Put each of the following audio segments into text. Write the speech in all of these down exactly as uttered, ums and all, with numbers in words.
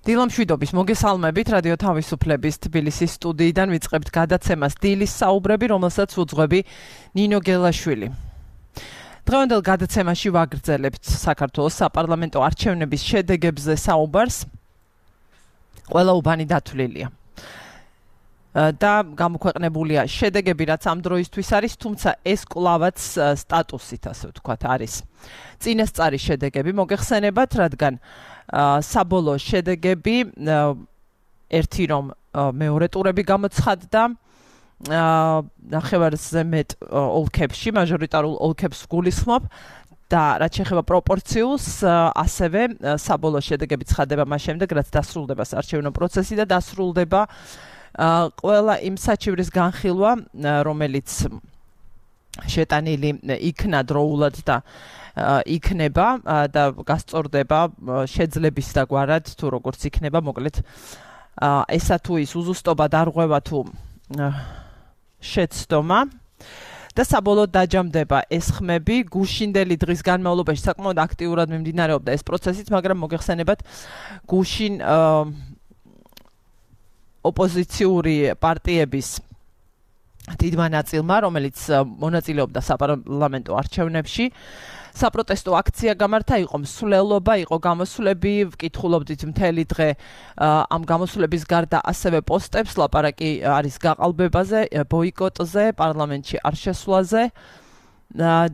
დილამშვიდობის მოგესალმებით რადიო თავისუფლების თბილისის სტუდიიდან ვიწყებთ გადაცემას დილის საუბრები, რომელსაც უძღვები ნინო გელაშვილი. დღევანდელ გადაცემაში ვაგრძელებთ საქართველოს საპარლამენტო არჩევნების შედეგებზე საუბარს. ყველა უბანი დათვლილია. და გამოქვეყნებულია შედეგები, რაც ამ დროისთვის არის, თუმცა ეს კვლავაც სტატუსით, ასე ვთქვათ, არის. წინასწარი შედეგები მოგეხსენებათ, რადგან საბოლოო შედეგები ერთი რომ მეორე ტურები გამოცხადდა ნახევარზე მეტ ოლქებში, მაჟორიტარულ ოლქებს გულისხმობ და რაც შეეხება პროპორციულს, ასევე საბოლოო შედეგები ცხადდება მას შემდეგ, რაც დასრულდება საარჩევნო პროცესი და დასრულდება ყველა იმ საჩივრის განხილვა, რომელიც შეტანილი იქნა დროულად და იქნება და გასწორდება შეძლების დაგვარად თუ როგორც იქნება, მოკლედ ესა თუ ის უზუსტობა დარღვევა თუ შეცდომა და საბოლოოდ დაჯამდება ეს ხმები. გუშინდელი დღის განმავლობაში საკმაოდ აქტიურად მიმდინარეობდა ეს პროცესიც, მაგრამ მოგეხსენებათ, გუშინ ოპოზიციური პარტიების დიდმა ნაწილმა, რომელიც მონაწილეობდა საპარლამენტო არჩევნებში, საპროტესტო აქცია გამართა, იყო მსვლელობა, იყო გამოსვლები, ვკითხულობდით მთელი დღე ამ გამოსვლების გარდა ასევე პოსტებს, ლაპარაკი არის გაყალბებაზე, ბოიკოტზე, პარლამენტში არ შესვლაზე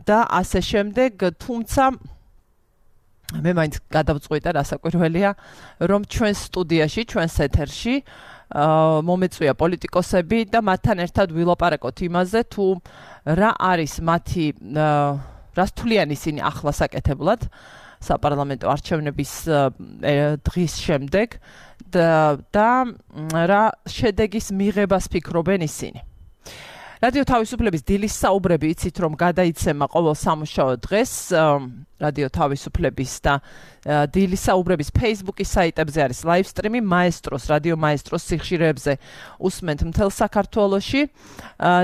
და ასე შემდეგ, თუმცა მე მაინც გადავწყვიტე, რასაკვირველია, რომ ჩვენს სტუდიაში, ჩვენს ეთერში მომეწვია პოლიტიკოსები და მათთან ერთად ვილაპარაკოთ იმაზე, თუ რა არის მათი რას თვლიან ისინი ახლა საკეთებლად საპარლამენტო არჩევნების დღის შემდეგ და რა შედეგის მიღებას ფიქრობენ ისინი. რადიო თავისუფლების დილის საუბრები, იცით რომ გადაიცემა ყოველ სამუშაო დღეს რადიო თავისუფლების და დილის საუბრების Facebook-ის საიტებზე არის live stream-ი, მაესტროს, რადიო მაესტროს სიხშირეებზე უსმენთ მთელ საქართველოში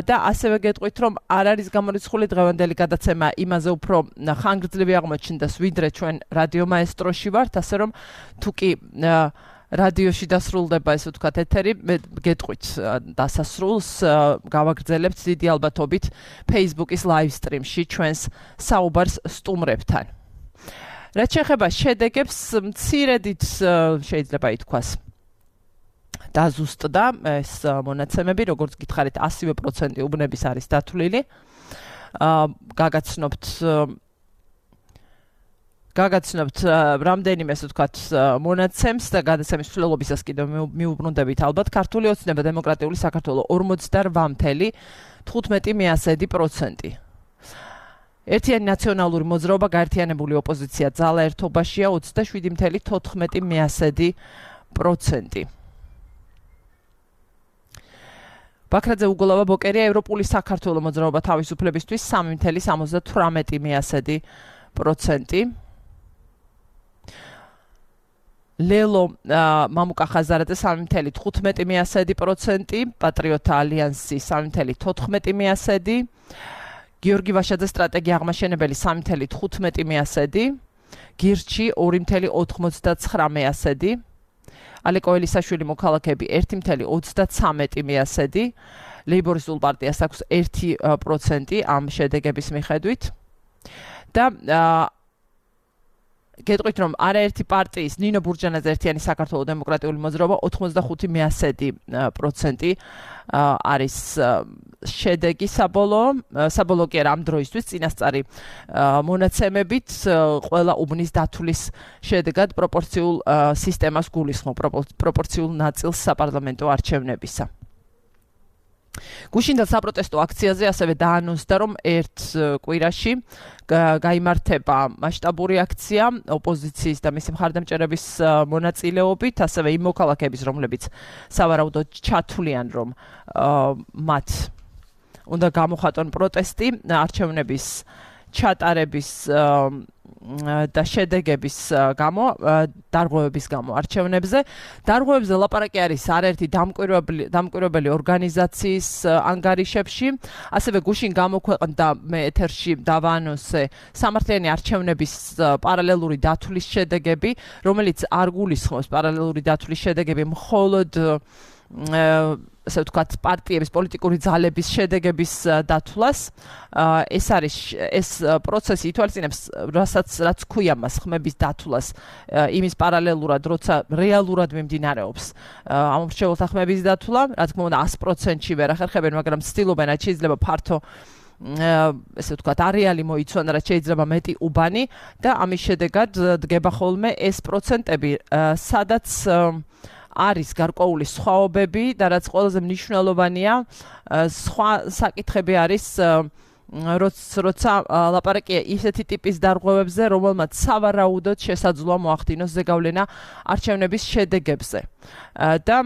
და ასევე გეტყვით, რომ არ არის გამორიცხული დღევანდელი გადაცემა იმაზე უფრო ხანგრძლივი აღმოჩნდეს, ვიდრე ჩვენ რადიო მაესტროში ვართ, ასე რომ თუ კი რადიოში დასრულდება, ესე ვთქვათ, ეთერი, მე გეტყვით დასასრულს გავაგრძელებთ დიდი ალბათობით Facebook-ის live stream-ში ჩვენს საუბარს სტუმრებთან. რაც შეეხება შედეგებს, მცირედით შეიძლება ითქვას დაზუსტდა ეს მონაცემები, როგორც გითხარით, ასი პროცენტი უბნების არის დათვლილი. გაგაცნობთ გაგაცნობთ რამდენიმე, ასე ვთქვათ, მონაცემს და გადაცემის მსვლელობისას კიდევ მიუბრუნდებით ალბათ. ქართული ოცნება დემოკრატიული საქართველო ორმოცდარბა წუთი თხუთმეტი პროცენტი. ერთიანი ნაციონალური მოძრაობა, გაერთიანებული ოპოზიცია, ძალა ერთობაშია ოცდაშვიდი თოთხმეტი პროცენტი. ბაქრაძე უგოლავა ბოკერია, ევროპული საქართველო მოძრაობა თავისუფლებისთვის სამი სამოცდათვრამეტი პროცენტი. ლელო მამუკა ხაზარაძე სამი თხუთმეტი პროცენტი, პატრიოტთა ალიანსი სამი თოთხმეტი პროცენტი, გიორგი ვაშაძე სტრატეგია აღმაშენებელი სამი თხუთმეტი პროცენტი, გირჩი ორი ოცდათვრამეტი პროცენტი, ალეკო ელისაშვილი მოქალაქეები ერთი ოცდაცამეტი პროცენტი, ლეიბორისტულ პარტიას აქვს ერთი პროცენტი ამ შედეგების მიხედვით და გეტყვით, რომ არაერთი პარტიის ნინო ბურჯანაძე ერთიანი საქართველოს დემოკრატიული მოძრაობა ოცდახუთი პროცენტი არის შედეგი საბოლოო, საბოლოო კი არა ამ დროისთვის წინასწარი მონაცემებით ყველა უბნის დათვლის შედეგად პროპორციულ სისტემას გულისხმობ, პროპორციულ ნაწილს საპარლამენტო არჩევნებისა. გუშინდელ საპროტესტო აქციაზე ასევე დაანონსდა, რომ ერთ კვირაში გაიმართება მასშტაბური აქცია ოპოზიციის და მისი მხარდამჭერების მონაწილეობით, ასევე იმ მოქალაქეების, რომლებიც სავარაუდოდ ჩათვლიან, რომ მათ უნდა გამოხატონ პროტესტი არჩევნების ჩატარების და შედეგების გამო, დარღვევების გამო არჩევნებზე. დარღვევებზე ლაპარაკი არის არაერთი დამკვირვებელი დამკვირვებელი ორგანიზაციის ანგარიშებში, ასევე გუშინ გამოქვეყნდა მე ეთერში დავაანონსე სამართლიანი არჩევნების პარალელური დათვლის შედეგები, რომელიც არ გულისხმობს პარალელური დათვლის შედეგები მხოლოდ ასე ვთქვათ, პარტიების პოლიტიკური ძალების შედეგების დათვლას. ეს არის ეს პროცესი ითვალისწინებს, რასაც რაც ქვია მას ხმების დათვლას, იმის პარალელურად, როცა რეალურად მიმდინარეობს ამ მრჩეველთა ხმების დათვლა, რა თქმა უნდა ას პროცენტში ვერ ახერხებენ, მაგრამ ცდილობენ, რაც შეიძლება ფართო ესე ვთქვათ, არეალი მოიცვან, რაც შეიძლება მეტი უბანი და ამის შედეგად დგება ხოლმე ეს პროცენტები, სადაც არის გარკვეული სხვაობები და რაც ყველაზე მნიშვნელოვანია, სხვა საკითხები არის, როცა ლაპარაკია ისეთი ტიპის დარღვევებზე, რომელმაც სავარაუდოდ შესაძლოა მოახდინოს ზეგავლენა არჩევნების შედეგებზე. და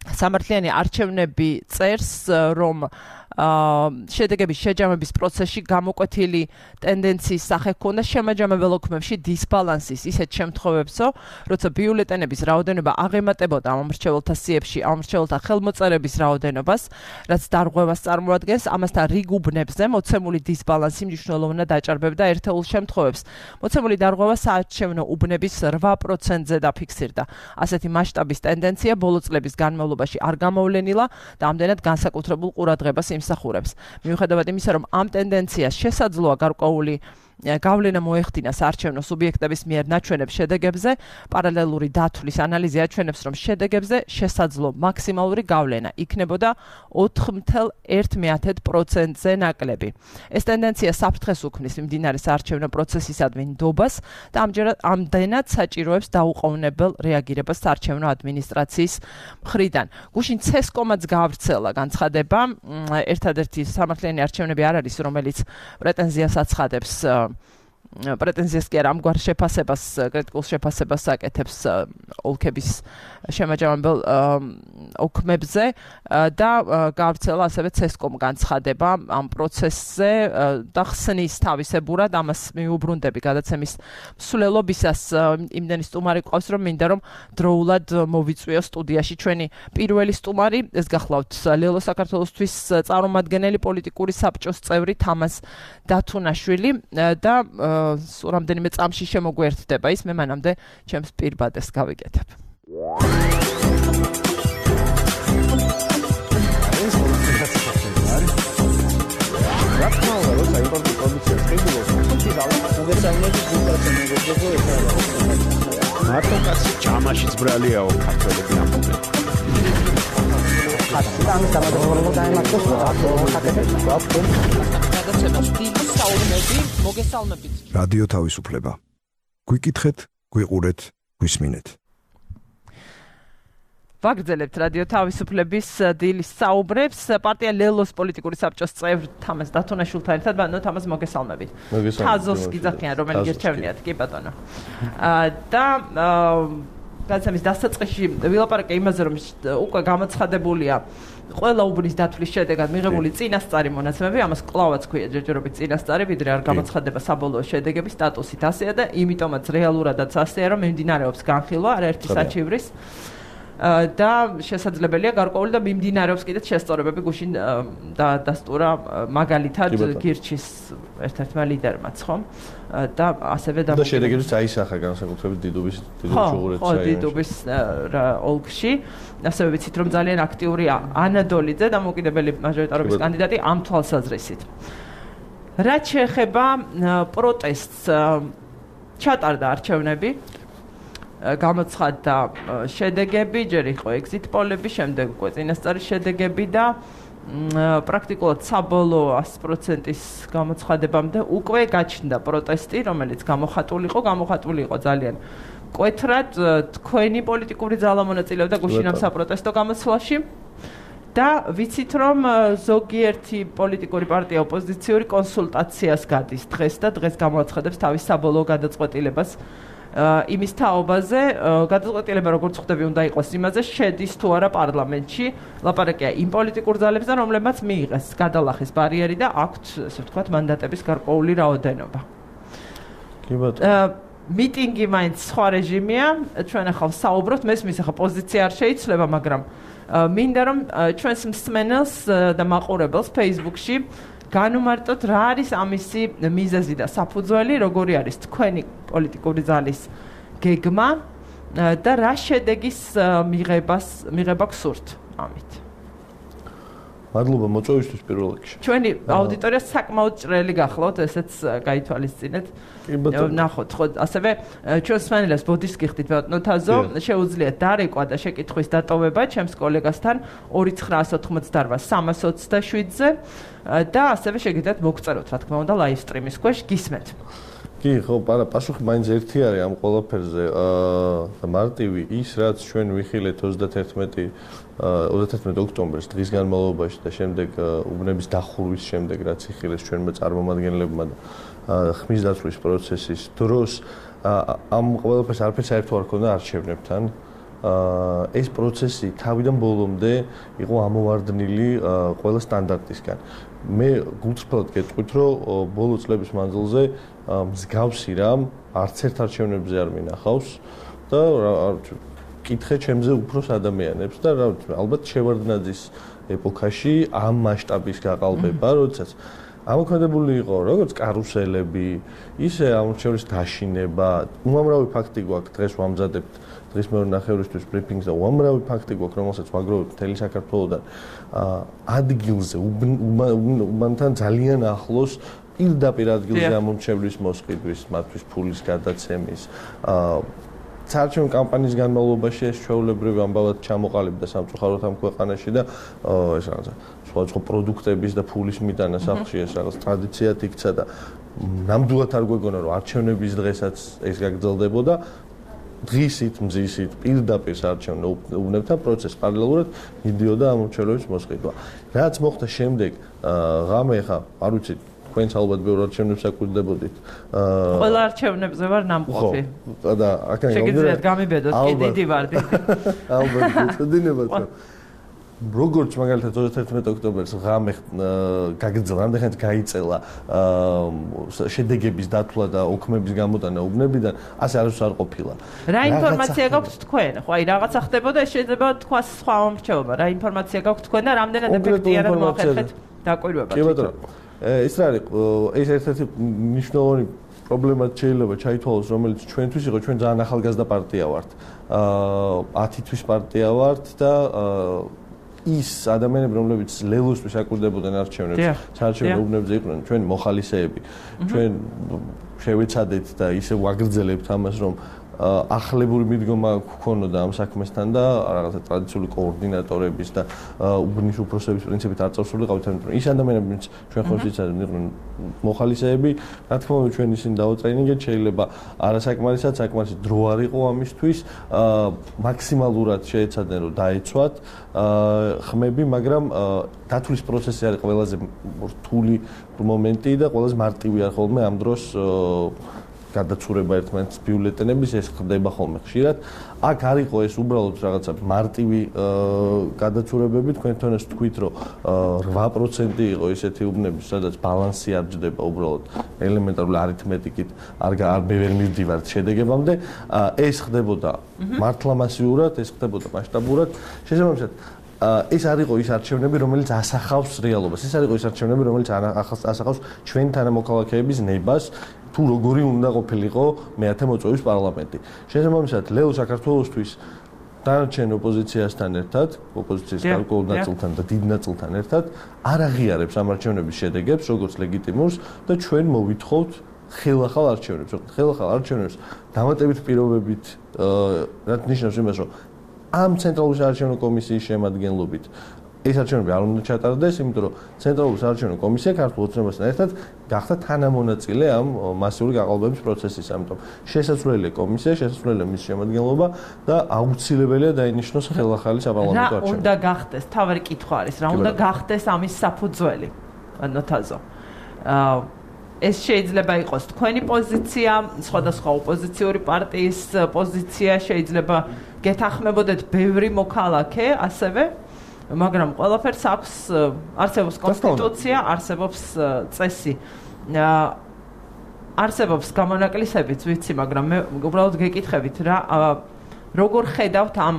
სამართლიანი არჩევნები წერს, რომ შედეგების შეჯამების პროცესში გამოკვეთილი ტენდენციის სახე ჰქონდა შემაჯამებელ ოქმებში დისბალანსის ისეთ შემთხვევებსო, როცა ბიულეტენების რაოდენობა აღემატებოდა ამ მრჩეველთა სიებში ამ მრჩეველთა ხელმოწერების რაოდენობას, რაც დარღვევას წარმოადგენს, ამასთან რიგ უბნებზე მოცემული დისბალანსი მნიშვნელოვნად აჭარბებდა ერთეულ შემთხვევებს. მოცემული დარღვევა საარჩევნო უბნების რვა პროცენტზე დაფიქსირდა. ასეთი მასშტაბის ტენდენცია ბოლო წლების განმავლობაში არ გამოვლენილა და ამდენად განსაკუთრებულ ყურადღებას იმსახურებს. მიუხედავად იმისა, რომ ამ ტენდენციას შესაძლოა გარკვეული გავლენა მოეხდინა საარჩევნო სუბიექტების მიერ ნაჩვენებ შედეგებზე, პარალელური დათვლის ანალიზი აჩვენებს, რომ შედეგებზე შესაძლო მაქსიმალური გავლენა იქნებოდა ოთხ მცდარ ერთ პროცენტზე ნაკლები. ეს ტენდენცია საფრთხეს უქმნის მიმდინარე საარჩევნო პროცესისადმი ნდობას და ამჯერად ამდენად საჭიროებს დაუყოვნებელ რეაგირებას საარჩევნო ადმინისტრაციის მხრიდან. გუშინ ცესკომაც გაავრცელა განცხადება, ერთადერთი სამართლიანი არჩევნები არ არის, რომელიც პრეტენზიას აცხადებს პრეტენზიას კი არა, ამგვარ შეფასებას, კრიტიკულ შეფასებას აკეთებს ოლქების შემაჯამებელ ოქმებზე და გაავრცელა ასევე ცესკომ განცხადება ამ პროცესზე და ხსნის თავისებურად ამას მიუბრუნდები გადაცემის მსვლელობისას იმდენი სტუმარი ყავს, რომ მინდა რომ დროულად მოვიწვიო სტუდიაში ჩვენი პირველი სტუმარი, ეს გახლავთ ლელო საქართველოსთვის წარმომადგენელი პოლიტიკური საბჭოს წევრი თამაზ დათუნაშვილი და სულ რამდენიმე წამში შემოგვერთდება ის, მე მანამდე ჩემს პირბადეს გავიკეთებ. მარტო კაცი ჯამაშიც ბრალიაო ქართველები ამბობენ. ამის დამადროულობა დაემართოს რადიო თავისუფლება. გვიკითხეთ, გვიყურეთ, გვისმინეთ. ვაგრძელებთ რადიო თავისუფლების დილის საუბრებს. პარტია ლელოს პოლიტიკური საბჭოს წევრ თამაზ დათუნაშვილთან ერთად, ბატონო თამაზ მოგესალმებით. თაზოს გიძახიან, რომელი გირჩევნიათ, კი ბატონო. და გადაცემის დასაწყისში ვილაპარაკე იმაზე, რომ უკვე გამოცხადებულია ყველა უბნის დათვლის შედეგად მიღებული წინასწარი მონაცემები, ამას კლავაც ქვია ჯერჯერობით წინასწარი, ვიდრე არ გამოცხადება საბოლოო შედეგების სტატუსით ასეა და იმიტომაც რეალურადაც ასეა, რომ მიმდინარეობს განხილვა არაერთი საჩივრის და შესაძლებელია გარკვეული და მიმდინარეობს კიდეც შესწორებები გუშინ და დასტურა მაგალითად გირჩის ერთ-ერთმა ლიდერმაც, ხო? და ასევე და შედეგებიც აისახა განსაკუთრებით დიდუბის დიდუბის ხო, დიდუბის ოლქში. ასევე ვიცით, რომ ძალიან აქტიურია ანა დოლიძე, დამოუკიდებელი მაჟორიტარობის კანდიდატი ამ თვალსაზრისით. რაც შეეხება პროტესტს, ჩატარდა არჩევნები, გამოცხადდა შედეგები, ჯერ იყო ეგზიტ პოლები, შემდეგ უკვე წინასწარი შედეგები და პრაქტიკულად საბოლოო ას პროცენტის გამოცხადებამდე უკვე გაჩნდა პროტესტი, რომელიც გამოხატული იყო, გამოხატული იყო ძალიან მკვეთრად, თქვენი პოლიტიკური ძალა მონაწილეობდა გუშინ ამ საპროტესტო გამოცვლაში და ვიცით, რომ ზოგიერთი პოლიტიკური პარტია ოპოზიციური კონსულტაციას გადის დღეს და დღეს გამოაცხადებს თავის საბოლოო გადაწყვეტილებას იმის თაობაზე, გადაწყვეტილება როგორც ხვდები უნდა იყოს იმაზე, შედის თუ არა პარლამენტში, ლაპარაკია იმ პოლიტიკურ ძალებზე, რომლებმაც მიიღეს გადალახის ბარიერი და აქვთ, ესე ვთქვათ, მანდატების გარკვეული რაოდენობა. კი ბატონო. მიტინგი მაინც სხვა რეჟიმია, ჩვენ ახლა საუბრობთ, მესმის ახლა პოზიცია არ შეიძლება, მაგრამ მინდა რომ ჩვენს მსმენელს და მაყურებელს Facebook-ში განუმარტოთ რა არის ამისი მიზეზი და საფუძველი, როგორი არის თქვენი პოლიტიკური ძალის გეგმა და რა შედეგის მიღებას მიღება გსურთ ამით. მადლობა მოწვევისთვის პირველ რიგში. ჩვენი აუდიტორია საკმაოდ ჭრელი გახლავთ, ესეც გაითვალისწინეთ. ნახოთ, ხო, ასევე ჩვენ სვენელებს ბოდიშს გიხდით ბატონო თაზო, შეუძლიათ დარეკვა და შეკითხვის დატოვება ჩემს კოლეგასთან ორი ცხრა ოთხმოცდაოთხ სამას ოცდაშვიდზე და ასევე შეგიძლიათ მოგწეროთ, რა თქმა უნდა, live stream-ის ქვეშ გისმენთ. კი, ხო, პარა პასუხი მაინც ერთი არის ამ ყველაფერზე. აა მარტივი ის, რაც ჩვენ ვიხილეთ ოცდაათერთმეტი ოქტომბერს დღის განმავლობაში და შემდეგ უბნების დახურვის შემდეგ, რაც იხილეს ჩვენმა წარმომადგენლებმა და ხმის დაცვის პროცესის დროს ამ ყველაფერს არაფერს საერთო არ ქონდა არჩევნებთან. ეს პროცესი თავიდან ბოლომდე იყო ამოვარდნილი ყველა სტანდარტისგან. მე გულწრფელად გეტყვით, რომ ბოლო წლების მანძილზე მსგავსი რამ არც ერთ არჩევნებზე არ მინახავს და კითხე ჩემზე უფროს ადამიანებს და ალბათ შევარდნაძის ეპოქაში ამ მასშტაბის გაყალბება, როდესაც ამოქმედებული იყო როგორც კარუსელები, ისე ამორჩევლის დაშინება, უამრავი ფაქტი გვაქვს დღეს ვამზადებთ დღის მეორე ნახევრისთვის ბრიფინგს და უამრავი ფაქტი გვაქვს, რომელსაც ვაგროვებთ მთელი საქართველოდან ადგილზე უბანთან ძალიან ახლოს პირდაპირ ადგილზე ამორჩევლის მოსყიდვის, მათთვის ფულის გადაცემის საარჩევნო კამპანიის განმავლობაში ეს ჩვეულებრივი ამბავად ჩამოყალიბდა სამწუხაროდ ამ ქვეყანაში და ეს რაღაცა სხვადასხვა პროდუქტების და ფულის მიტანა სახლში ეს რაღაც ტრადიციად იქცა და ნამდვილად არ გვეგონა რომ არჩევნების დღესაც ეს გაგრძელდებოდა დღისით, მზისით, პირდაპირ საარჩევნო უბნებთან პროცესს პარალელურად მიდიოდა ამორჩევლების მოსყიდვა. რაც მოხდა შემდეგ, ღამე ხა, არ ვიცი თქვენც ალბათ ბევრ არჩევნებს აკვირდებოდით. ყველა არჩევნებზე ვარ ნამყოფი. ხო, და აქან შეგიძლიათ გამიბედოთ, კი დიდი ვარ. ალბათ, გეცოდინებათ რომ როგორც მაგალითად ოცდაათერთმეტი ოქტომბერს ღამე გაგრძელდა, ამდენხანს გაიწელა შედეგების დათვლა და ოქმების გამოტანა უბნებიდან, ასე არასდროს არ ყოფილა. რა ინფორმაცია გაქვთ თქვენ? ხო, აი რაღაცა ხდებოდა, შეიძლება თქვა სხვა მომრჩეობა. რა ინფორმაცია გაქვთ თქვენ და რამდენად ეფექტიანად მოახერხეთ დაკვირვება? კი ბატონო. ეს რა არის? ეს ერთ-ერთი მნიშვნელოვანი პრობლემად შეიძლება ჩაითვალოს, რომელიც ჩვენთვის იყო, ჩვენ ძალიან ახალგაზრდა პარტია ვართ. ათი თვის პარტია ვართ და ის ადამიანები, რომლებიც ლელოსთვის აკვირდებოდნენ არჩევნებს, საარჩევნო უბნებზე იყვნენ ჩვენი მოხალისეები. ჩვენ შევეცადეთ და ისე ვაგრძელებთ ამას, რომ ახლებური მიდგომა გქონოდა ამ საქმესთან და რაღაცა ტრადიციული კოორდინატორების და უბნის უფროსების პრინციპით არ წავსულიყავით, იმიტომ რომ ის ადამიანებიც ჩვენ ხომ ვიცით, იყვნენ მოხალისეები, რა თქმა უნდა ჩვენ ისინი დავატრენინგეთ, შეიძლება არასაკმარისად, საკმარისი დრო არ იყო ამისთვის, მაქსიმალურად შეეცადნენ რომ დაეცვათ ხმები, მაგრამ დათვლის პროცესი არის ყველაზე რთული მომენტი და ყველაზე მარტივი არ ხოლმე ამ დროს გადაცურება ერთმანეთის ბიულეტენების ეს ხდება ხოლმე ხშირად. აქ არ იყო ეს უბრალოდ რაღაცა მარტივი გადაცურებები, თქვენ თვითონაც თქვით, რომ რვა პროცენტი იყო ისეთი უბნები, სადაც ბალანსი არ ჯდება უბრალოდ ელემენტარული არითმეტიკით, არ არ ვერ მივდივართ შედეგებამდე. ეს ხდებოდა მართლა მასიურად, ეს ხდებოდა მასშტაბურად. შესაბამისად ეს არ იყო ის არჩევნები, რომელიც ასახავს რეალობას. ეს არ იყო ის არჩევნები, რომელიც ასახავს ჩვენ თანამოქალაქეების ნებას. თუ როგორი უნდა ყოფილიყო მეათე მოწვევის პარლამენტი. შესაბამისად, ლეო საქართველოსთვის დანარჩენ ოპოზიციასთან ერთად, ოპოზიციის გარკვეულ ნაწილთან და დიდ ნაწილთან ერთად არ აღიარებს ამ არჩევნების შედეგებს, როგორც ლეგიტიმურს და ჩვენ მოვითხოვთ ხელახალ არჩევნებს. ხელახალ არჩევნებს დამატებით პირობებით, რაც ნიშნავს იმას, რომ ამ ცენტრალური საარჩევნო კომისიის შემადგენლობით ეს არჩევნები არ უნდა ჩატარდეს, იმიტომ რომ ცენტრალური საარჩევნო კომისია ქართულ ოცნებასთან ერთად გახდა თანამონაწილე ამ მასიური გაყალბების პროცესის, ამიტომ შესაძლებელია კომისია, შესაძლებელია მის შემადგენლობა და აუცილებელია დაინიშნოს ხელახალი საპარლამენტო არჩევნები. რა უნდა გახდეს? თავი კითხვა არის, რა უნდა გახდეს ამის საფუძველი? ნოთაზო. აა ეს შეიძლება იყოს თქვენი პოზიცია, სხვადასხვა ოპოზიციური პარტიის პოზიცია, შეიძლება გეთანხმებოდეთ ბევრი მოქალაქე, ასევე მაგრამ ყველაფერს აქვს არსებობს კონსტიტუცია, არსებობს წესი. არსებობს გამონაკლისებიც ვიცი, მაგრამ მე უბრალოდ გეკითხებით რა როგორ ხედავთ ამ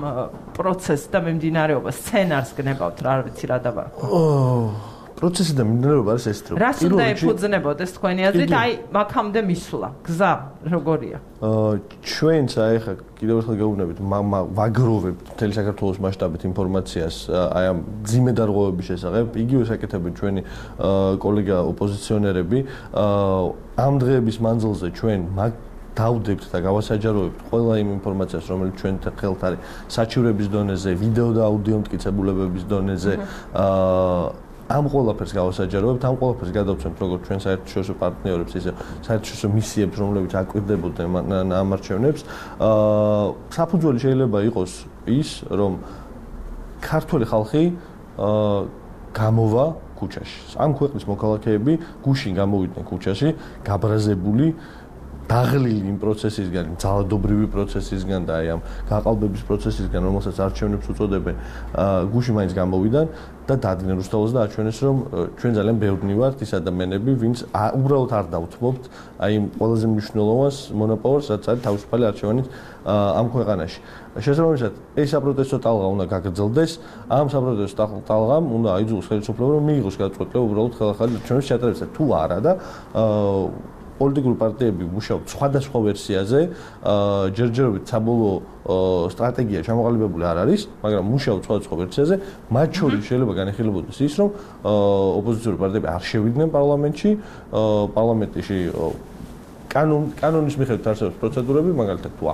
პროცესს და მიმდინარეობას, სცენარს გნებავთ, რა ვიცი რა დაბარქვა. პროცესი და მიმდინარეობა არის ეს რომ რას უნდა ეფუძნებოდეს თქვენი აზრით, აი მაგამდე მისვლა, გზა როგორია? აა ჩვენც აი ხა კიდევ ერთხელ გეუბნებით, ვაგროვებთ მთელი საქართველოს მასშტაბით ინფორმაციას აი ამ ძიმე დარღვევების შესახებ, იგივე საკეთებენ ჩვენი კოლეგა ოპოზიციონერები, ამ დღეების მანძილზე ჩვენ მაგ დავდებთ და გავასაჯაროებთ ყველა იმ ინფორმაციას, რომელიც ჩვენთან ხელთ არის საჩივრების დონეზე, ვიდეო და აუდიო მტკიცებულებების დონეზე, აა ამ ყველაფერს გავასაჯაროებთ, ამ ყველაფერს გადავცემთ როგორც ჩვენ საერთაშორისო პარტნიორებს, ისე საერთაშორისო მისიებს, რომლებიც აკვირდებოდნენ ამ არჩევნებს. აა საფუძველი შეიძლება იყოს ის, რომ ქართველი ხალხი აა გამოვა ქუჩაში. ამ ქვეყნის მოქალაქეები გუშინ გამოვიდნენ ქუჩაში, გაბრაზებული დაღლილი იმ პროცესისგან, ძალადობრივი პროცესისგან და აი ამ გაყალბების პროცესისგან, რომელსაც არჩევნებს უწოდებენ, გუში მაინც გამოვიდან და დადგნენ რუსთაველს და აჩვენეს, რომ ჩვენ ძალიან ბევრნი ვართ ის ადამიანები, ვინც უბრალოდ არ დავთმობთ აი იმ ყველაზე მნიშვნელოვანს მონოპოლს, რაც არის თავისუფალი არჩევანი ამ ქვეყანაში. შესაბამისად, ეს საპროტესტო ტალღა უნდა გაგრძელდეს, ამ საპროტესტო ტალღამ უნდა აიძულოს ხელისუფლება, რომ მიიღოს გადაწყვეტილება უბრალოდ ხელახალი არჩევნების ჩატარებისა თუ არა და პოლიტიკური პარტიები მუშაობენ სხვადასხვა ვერსიაზე, ჯერჯერობით საბოლოო სტრატეგია ჩამოყალიბებული არ არის, მაგრამ მუშაობენ სხვადასხვა ვერსიაზე, მათ შორის შეიძლება განეხილებოდეს ის, რომ ოპოზიციური პარტიები არ შევიდნენ პარლამენტში, პარლამენტში კანონ კანონის მიხედვით არსებობს პროცედურები, მაგალითად თუ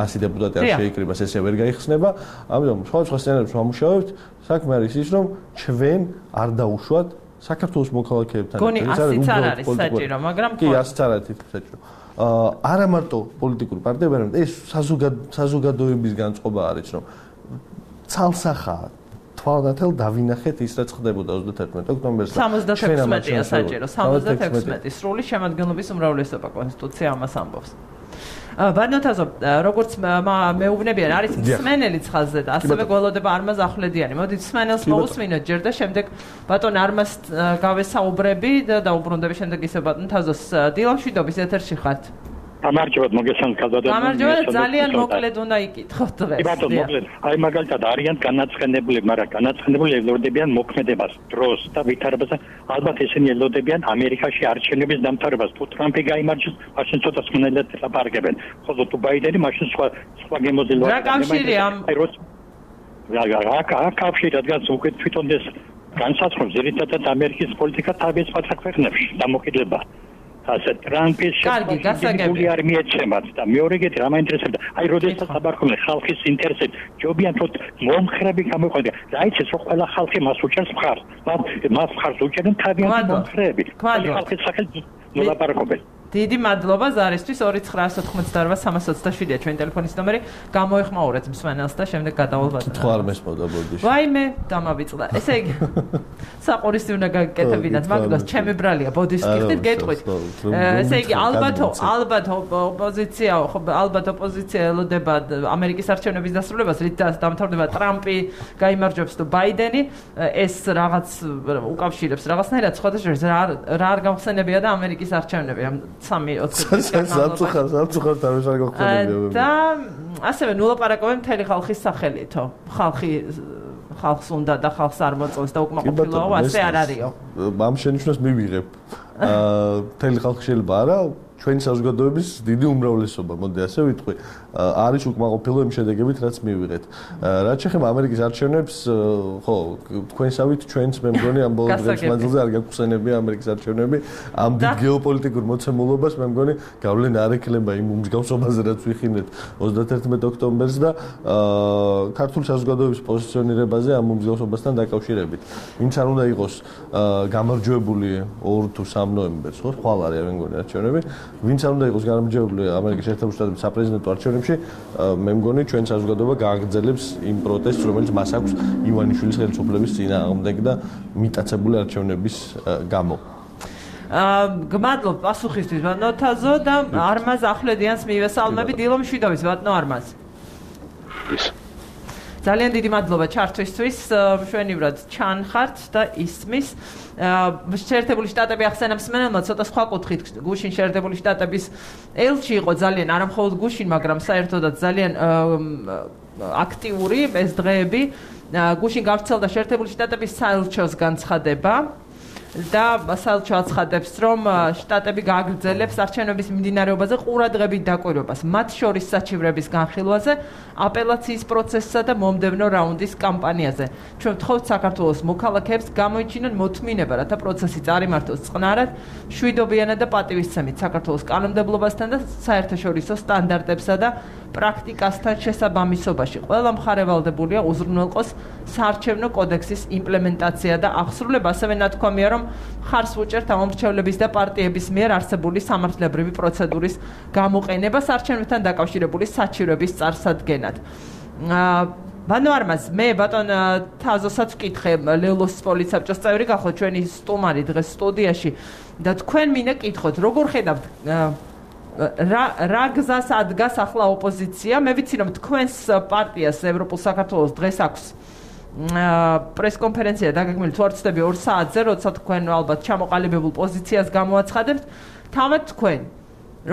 ასი დეპუტატი არ შეიკრიბას, ესე ვერ გაიხსნება, ამიტომ სხვადასხვა სცენარებს ვამუშავებთ, საქმე არის ის, რომ ჩვენ არ დაუშვათ საქართველოს მოქალაქეებთან ეს არის არის საჭირო, მაგრამ კი ასიც არ არის საჭირო. აა არა მარტო პოლიტიკური პარტიები, არამედ ეს საზოგადოების განწყობა არის, რომ ცალსახა თვალნათელ დავინახეთ ის რაც ხდებოდა ოცდაათი ოქტომბერს და სამოცდაექვსია საჭირო, სამოცდაექვსი სრული შემადგენლობის უმრავლესობა კონსტიტუცია ამას ამბობს. ბანოთაზო, როგორც მეუბნებიან, არის მსმენელი ხაზზე და ასევე გველოდება არმაზ ახვლედიანი. მოდით მსმენელს მოусმინოთ ჯერ და შემდეგ ბატონ არმაზ გავესაუბრები და დაუბრუნდები შემდეგ ისე ბატონ თაზოს. დილამშვიდობის ეთერში ხართ. გამარჯობათ, მოგესალმებით ხალხო. გამარჯობათ, ძალიან მოკლედ უნდა იკითხოთ დღეს. კი ბატონო, მოკლედ. აი მაგალითად არიან განაცხენებული, მაგრამ განაცხენებული ელოდებიან მოქმედებას, დროს და ვითარებას. ალბათ ესენი ელოდებიან ამერიკაში არჩევნების დამთავრებას. თუ ტრამპი გაიმარჯვებს, მაშინ ცოტა სმენელად ლაპარაკებენ. ხოლო თუ ბაიდენი, მაშინ სხვა სხვა გემოზილვა. რა კავშირი ამ აი როს რა რა რა კავშირი, რადგან უკვე თვითონ ეს განსაცდელს ზედმეტად ამერიკის პოლიტიკა თავის პატრ ქვეყნებში დამოკიდება. ასე ტრამპის შეფასებული არ მიეცემათ და მეორე კეთ რა მაინტერესებდა აი როდესაც აბარხობენ ხალხის ინტერესებს ჯობიან თოთ მომხრები გამოიყვანონ რა იცის რომ ყველა ხალხი მას უჭერს მხარს მას მხარს უჭერენ თავიანთი მომხრები ხალხის სახელით მოლაპარაკობენ დიდი მადლობა ზარისთვის ორი ცხრაასი ოთხმოცდაოთხ სამას ოცდაშვიდია ჩვენი ტელეფონის ნომერი გამოეხმაურეთ მსმენელს და შემდეგ გადავალ თუ არ მესმოდა ბოდიში ვაიმე დამავიწყდა ესე იგი საყურისი უნდა გაკეთებინათ მაგას ჩემი ბრალია ბოდიშს გიხდით გეტყვით ესე იგი ალბათ ალბათ ოპოზიცია ალბათ ოპოზიცია ელოდება ამერიკის არჩევნების დასრულებას რით დამთავრდება ტრამპი გაიმარჯვებს თუ ბაიდენი ეს რაღაც უკავშირებს რაღაცნაირად სხვადასხვა რა რა არ გამხსენებია და ამერიკის არჩევნები სამი ოცდაათი სამწუხაროდ სამწუხაროდ არ ვიშარ გახსენებია და ასევე ნულაპარაკობენ მთელი ხალხის სახელითო ხალხი ხალხს უნდა და ხალხს არ მოწონს და უკმაყოფილოა ასე არ არისო ამ შენიშვნას მივიღებ აა მთელი ხალხი შეიძლება არა ჩვენი საზოგადოების დიდი უმრავლესობა მოდი ასე ვიტყვი არის უკმაყოფილო იმ შედეგებით რაც მივიღეთ რაც შეეხება ამერიკის არჩევნებს ხო თქვენსავით ჩვენც მე მგონი ამ ბოლო დღის მანძილზე არ გაგხსენებია ამერიკის არჩევნები ამ დიდ გეოპოლიტიკურ მოცემულობას მე მგონი გავლენა არ ექნება იმ მსგავსობაზე რაც ვიხინეთ ოცდაათი ოქტომბერს და ქართული საზოგადოების პოზიციონირებაზე ამ მსგავსობასთან დაკავშირებით ვინც არ უნდა იყოს გამარჯვებული ორ თუ სამ ნოემბერს ხო ხვალ არის მე მგონი არჩევნები ვინც არ უნდა იყოს გამარჯვებული ამერიკის შეერთებული შტატების საპრეზიდენტო არჩევნებში მე მგონი ჩვენ საზოგადოება გააგრძელებს იმ პროტესტს რომელიც მას აქვს ივანიშვილის ხელისუფლების წინააღმდეგ და მიტაცებული არჩევნების გამო აა გმადლობ პასუხისთვის ბატონო თაზო და არმაზ ახვლედიანს მივესალმები დილომშვიდობის ბატონო არმაზ ძალიან დიდი მადლობა ჩართვისთვის. მშვენივრად ჩანხართ და ისმის. შეერთებული შტატები ახსენა მსმენელმა ცოტა სხვა კუთხით გუშინ შეერთებული შტატების ელჩი იყო ძალიან არა მხოლოდ გუშინ, მაგრამ საერთოდაც ძალიან აქტიური ეს დღეები. გუშინ გავრცელდა შეერთებული შტატების საელჩოს განცხადება და საელჩო აცხადებს, რომ შტატები გააგრძელებს არჩევნების მიმდინარეობაზე ყურადღებით დაკვირვებას, მათ შორის საჩივრების განხილვაზე, აპელაციის პროცესსა და მომდევნო რაუნდის კამპანიაზე. ჩვენ ვთხოვთ საქართველოს მოქალაქეებს გამოიჩინონ მოთმინება, რათა პროცესი წარიმართოს წყნარად, მშვიდობიანად და პატივისცემით საქართველოს კანონმდებლობასთან და საერთაშორისო სტანდარტებსა და პრაქტიკასთან შესაბამისობაში. ყველა მხარე ვალდებულია უზრუნველყოს საარჩევნო კოდექსის იმპლემენტაცია და აღსრულება. ასევე ნათქვამია, რომ ხარს ვუჭერთ ამომრჩევლების და პარტიების მიერ არსებული სამართლებრივი პროცედურის გამოყენება საარჩევნებთან დაკავშირებული საჩივრების წარსადგენად. ბანო არმაზ, მე ბატონ თაზოსაც ვკითხე, ლელოს პოლიცსაბჭოს წევრი გახოთ ჩვენი სტუმარი დღეს სტუდიაში და თქვენ მინდა კითხოთ, როგორ ხედავთ რა რა გზას ადგას ახლა ოპოზიცია? მე ვიცი, რომ თქვენს პარტიას ევროპულ საქართველოს დღეს აქვს პრესკონფერენცია დაგეგმილი თუ არ ვცდები ორ საათზე, როცა თქვენ ალბათ ჩამოყალიბებულ პოზიციას გამოაცხადებთ. თავად თქვენ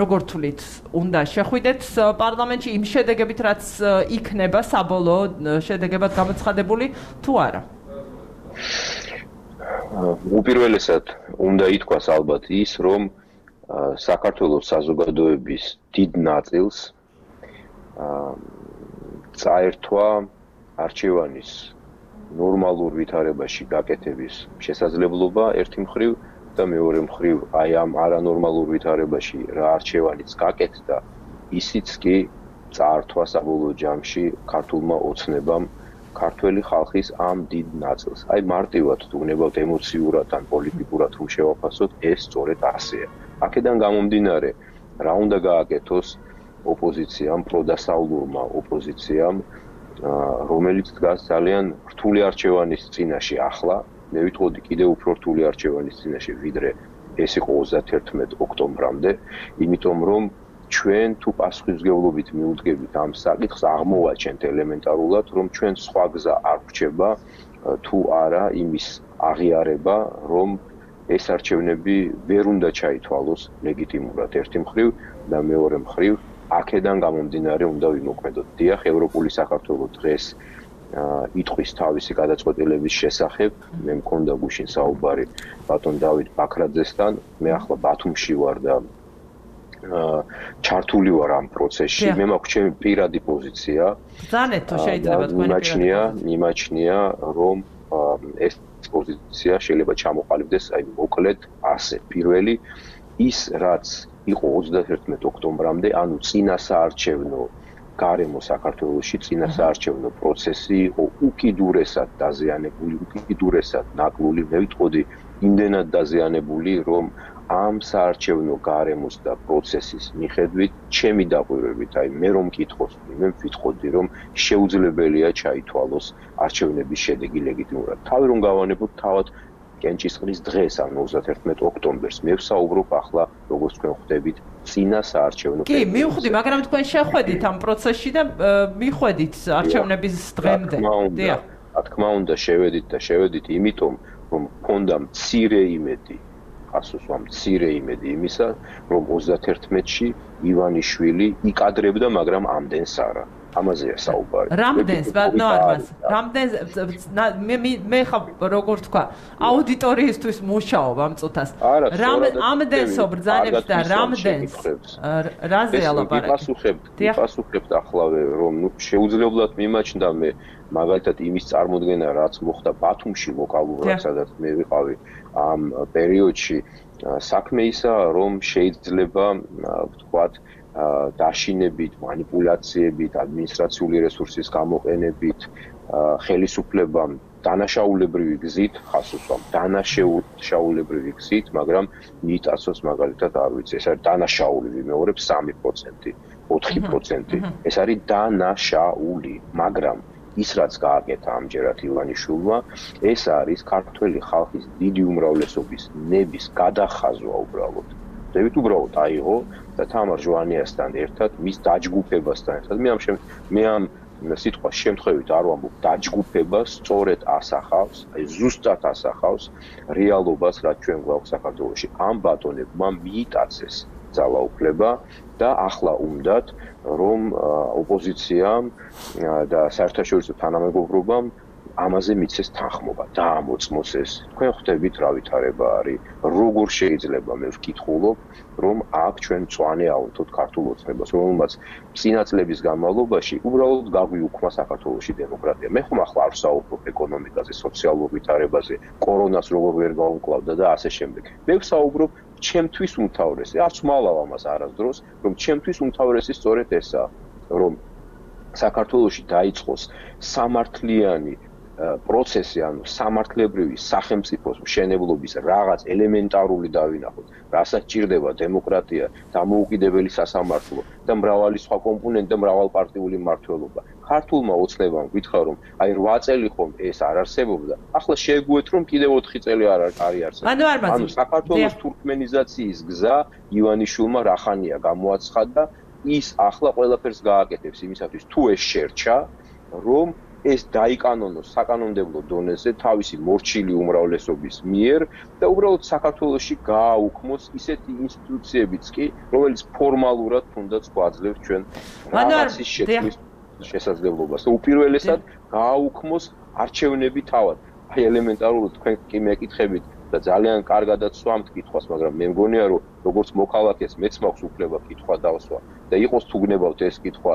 როგორ თვლით, უნდა შეხვიდეთ პარლამენტში იმ შედეგებით, რაც იქნება საბოლოო შედეგებად გამოცხადებული თუ არა? უპირველესად უნდა ითქვას ალბათ ის, რომ საქართველოს საზოგადოების დიდ ნაწილს წაერთვა არჩევანის ნორმალურ ვითარებაში გაკეთების შესაძლებლობა ერთი მხრივ და მეორე მხრივ აი ამ არანორმალურ ვითარებაში რა არჩევანიც გაკეთდა, ისიც კი წაართვა საბოლოო ჯამში ქართულმა ოცნებამ ქართველი ხალხის ამ დიდ ნაწილს. აი მარტივად თუ უნებავთ ემოციურად ან პოლიტიკურად რომ შევაფასოთ, ეს სწორედ ასეა. აქედან გამომდინარე, რა უნდა გააკეთოს ოპოზიციამ, პროდასავლურმა ოპოზიციამ, რომელიც დგას ძალიან რთული არჩევანის წინაშე ახლა, მე ვიტყოდი კიდევ უფრო რთული არჩევანის წინაშე, ვიდრე ეს იყო ოცდაათი ოქტომბრამდე, იმიტომ რომ ჩვენ თუ პასუხისმგებლობით მიუძგებით ამ საკითხს, აღმოვაჩენთ ელემენტარულად, რომ ჩვენ სხვა გზა არ გვჭება თუ არა იმის აღიარება, რომ ეს არჩევნები ვერ უნდა ჩაითვალოს ლეგიტიმურად ერთი მხრივ და მეორე მხრივ აქედან გამომდინარე უნდა ვიმოქმედოთ. დიახ, ევროპული საქართველო დღეს იტყვის თავისი გადაწყვეტილების შესახებ. მე მქონდა გუშინ საუბარი ბატონ დავით ბაქრაძესთან, მე ახლა ბათუმში ვარ და ჩართული ვარ ამ პროცესში. მე მაქვს ჩემი პირადი პოზიცია. ბრძანეთ თუ შეიძლება თქვენი მიმაჩნია, მიმაჩნია რომ ეს პოზიცია შეიძლება ჩამოყალიბდეს აი მოკლედ ასე. პირველი ის რაც იყო ოცდაათი ოქტომბრამდე, ანუ წინა საარჩევნო გარემო საქართველოში, წინა საარჩევნო პროცესი იყო უკიდურესად დაზიანებული, უკიდურესად ნაკლული, მე ვიტყოდი იმდენად დაზიანებული, რომ ამ საარჩევნო გარემოს და პროცესის მიხედვით, ჩემი დაკვირვებით, აი მე რომ მკითხოს, მე ვიტყოდი, რომ შეუძლებელია ჩაითვალოს არჩევნების შედეგი ლეგიტიმურად. თავი რომ გავანებოთ თავად კენჭისყრის დღეს, ანუ ოცდაათი ოქტომბერს, მე ვსაუბრობ ახლა, როგორც თქვენ ხვდებით, წინა საარჩევნო კი, მივხვდი, მაგრამ თქვენ შეხვედით ამ პროცესში და მიხვედით არჩევნების დღემდე. დიახ. რა თქმა უნდა, შევედით და შევედით, იმიტომ რომ მქონდა მცირე იმედი, ასოსვა მცირე იმედი იმისა, რომ ოცდაათი-ში ივანიშვილი იკადრებდა, მაგრამ ამდენს არა. ამაზეა საუბარი. რამდენს, ბატონო არმაზ, რამდენს მე მე ხა როგორ თქვა, აუდიტორიისთვის მუშაობ ამ წუთას. რამდენსო ბრძანებს და რამდენს რაზეა ლაპარაკი? მიპასუხებთ, მიპასუხებთ ახლავე, რომ ნუ შეუძლებლად მიმაჩნდა მე მაგალითად იმის წარმოდგენა, რაც მოხდა ბათუმში ლოკალურად, სადაც მე ვიყავი ამ პერიოდში, საქმე ისაა, რომ შეიძლება ვთქვათ დაშინებით, манипуляციებით, ადმინისტრაციული რესურსის გამოყენებით, ხელისუფლებამ დანაშაულებრივი გზით, ხასუსვამ დანაშაულებრივი გზით, მაგრამ მიტაცოს მაგალითად არ ვიცი, ეს არის დანაშაული, ვიმეორებ სამი პროცენტი, ოთხი პროცენტი. ეს არის დანაშაული, მაგრამ ის რაც გააკეთა ამჯერად ივანიშვილმა, ეს არის ქართველი ხალხის დიდი უმრავლესობის ნების გადახაზვა უბრალოდ. დევით უბრალოდ აიღო და თამარ ჟვანიასთან ერთად, მის დაჯგუფებასთან ერთად, მე ამ მე ამ სიტყვა შემთხვევით არ ვამბობ დაჯგუფება სწორედ ასახავს, აი ზუსტად ასახავს რეალობას, რაც ჩვენ გვაქვს საქართველოში. ამ ბატონებმა მიიტაცეს ძალაუფლება და ახლა უნდათ რომ ოპოზიციამ და საერთაშორისო თანამეგობრობამ ამაზე მიცეს თანხმობა, დაამოწმოს ეს. თქვენ ხვდებით რა ვითარება არის, როგორ შეიძლება მე ვკითხულობ, რომ აქ ჩვენ მწვანე ავთოთ ქართულ ოცნებას, რომელმაც წინა წლების განმავლობაში უბრალოდ გაგვიუქმა საქართველოში დემოკრატია. მე ხომ ახლა არ ვსაუბრობ ეკონომიკაზე, სოციალურ ვითარებაზე, კორონას როგორ ვერ გავუკლავდა და ასე შემდეგ. მე ვსაუბრობ ჩემთვის უმთავრესი, არც მალავ ამას არასდროს, რომ ჩემთვის უმთავრესი სწორედ ესაა, რომ საქართველოში დაიწყოს სამართლიანი პროცესი, ანუ სამართლებრივი სახელმწიფოს მშენებლობის რაღაც ელემენტარული დავინახოთ, რასაც ჭირდება დემოკრატია, დამოუკიდებელი სასამართლო და მრავალი სხვა კომპონენტი და მრავალპარტიული მმართველობა. ქართულმა ოცნებამ გითხრა რომ აი რვა წელი ხომ ეს არ არსებობდა, ახლა შეეგუეთ რომ კიდევ ოთხი წელი არ არის არსებობს. ანუ საქართველოს თურქმენიზაციის გზა ივანიშვილმა რახანია გამოაცხადა, ის ახლა ყველაფერს გააკეთებს იმისათვის თუ ეს შერჩა, რომ ეს დაიკანონოს საკანონმდებლო დონეზე თავისი მორჩილი უმრავლესობის მიერ და უბრალოდ საქართველოში გააუქმოს ისეთი ინსტიტუციებიც კი, რომელიც ფორმალურად თუნდაც გვაძლევს ჩვენ რაღაცის შექმნის შესაძლებლობას. უპირველესად გააუქმოს არჩევნები თავად. აი ელემენტარულად თქვენ კი მეკითხებით და ძალიან კარგადაც სვამთ კითხვას, მაგრამ მე მგონია რომ როგორც მოქალაქეს მეც მაქვს უფლება კითხვა დავსვა და იყოს თუ გნებავთ ეს კითხვა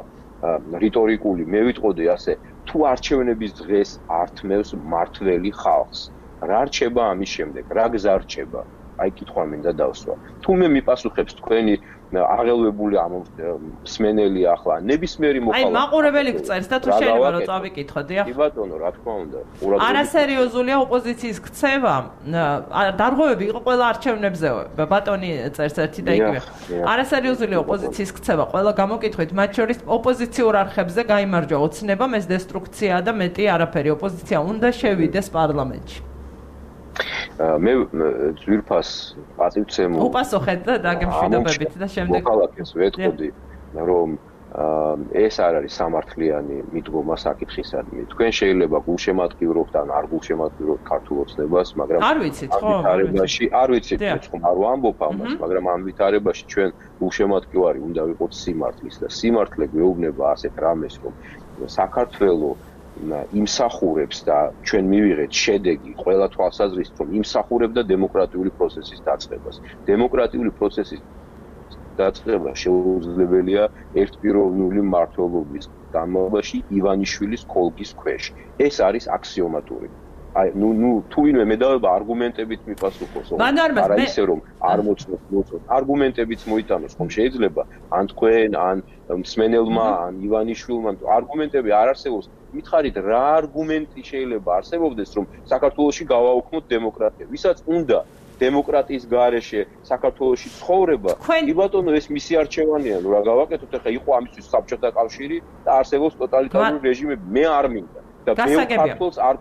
რიტორიკული, მე ვიტყოდი ასე, თუ არჩევნების დღეს ართმევს მართველი ხალხს, რა რჩება ამის შემდეგ, რა გზა რჩება? აი კითხვა მინდა დავსვა. თუ მე მიპასუხებს თქვენი აღელვებული ამ მსმენელი ახლა ნებისმიერი მოხალხე. აი მაყურებელი გწერს და თუ შეიძლება რომ წავიკითხო, დიახ. კი ბატონო, რა თქმა უნდა. არასერიოზულია ოპოზიციის ქცევა. დარღვევები იყო ყველა არჩევნებზე. ბატონი წერს ერთი და იგივე. არასერიოზულია ოპოზიციის ქცევა. ყველა გამოკითხვით, მათ შორის ოპოზიციურ არხებზე გაიმარჯვა ოცნებამ, ეს დესტრუქციაა და მეტი არაფერი. ოპოზიცია უნდა შევიდეს პარლამენტში. მე ძვირფას პატივცემულ უპასუხეთ და დაგემშვიდობებით და შემდეგ მოქალაქეს ვეთყოდი რომ ეს არ არის სამართლიანი მიდგომა საკითხისადმი. თქვენ შეიძლება გულშემატკივრობთ ან არ გულშემატკივრობთ ქართულ ოცნებას, მაგრამ არ ვიცით ხო? არ ვიცით, ხომ არ ვამბობ ამას, მაგრამ ამ ვითარებაში ჩვენ გულშემატკივარი უნდა ვიყოთ სიმართლის და სიმართლე გვეუბნება ასეთ რამეს, რომ საქართველოს იმსახურებს და ჩვენ მივიღეთ შედეგი ყველა თვალსაზრისით რომ იმსახურებდა დემოკრატიული პროცესის დაწყებას. დემოკრატიული პროცესის დაწყება შეუძლებელია ერთპიროვნული მმართველობის განმავლობაში ივანიშვილის კოლგის ქვეშ. ეს არის აქსიომატური. აი ნუ ნუ თუ ვინმე მედავება არგუმენტებით მიპასუხოს. არა ისე რომ არ მოწმოთ, მოწმოთ. არგუმენტებიც მოიტანოს, ხომ შეიძლება ან თქვენ, ან მსმენელმა, ან ივანიშვილმა არგუმენტები არ არსებობს. მითხარით რა არგუმენტი შეიძლება არსებობდეს რომ საქართველოში გავაუქმოთ დემოკრატია. ვისაც უნდა დემოკრატიის გარეშე საქართველოში ცხოვრება, კი ბატონო ეს მისი არჩევანია, ნუ რა გავაკეთოთ ახლა იყო ამისთვის საბჭოთა კავშირი და არსებობს ტოტალიტარული რეჟიმები. მე არ მინდა და მე საქართველოს არ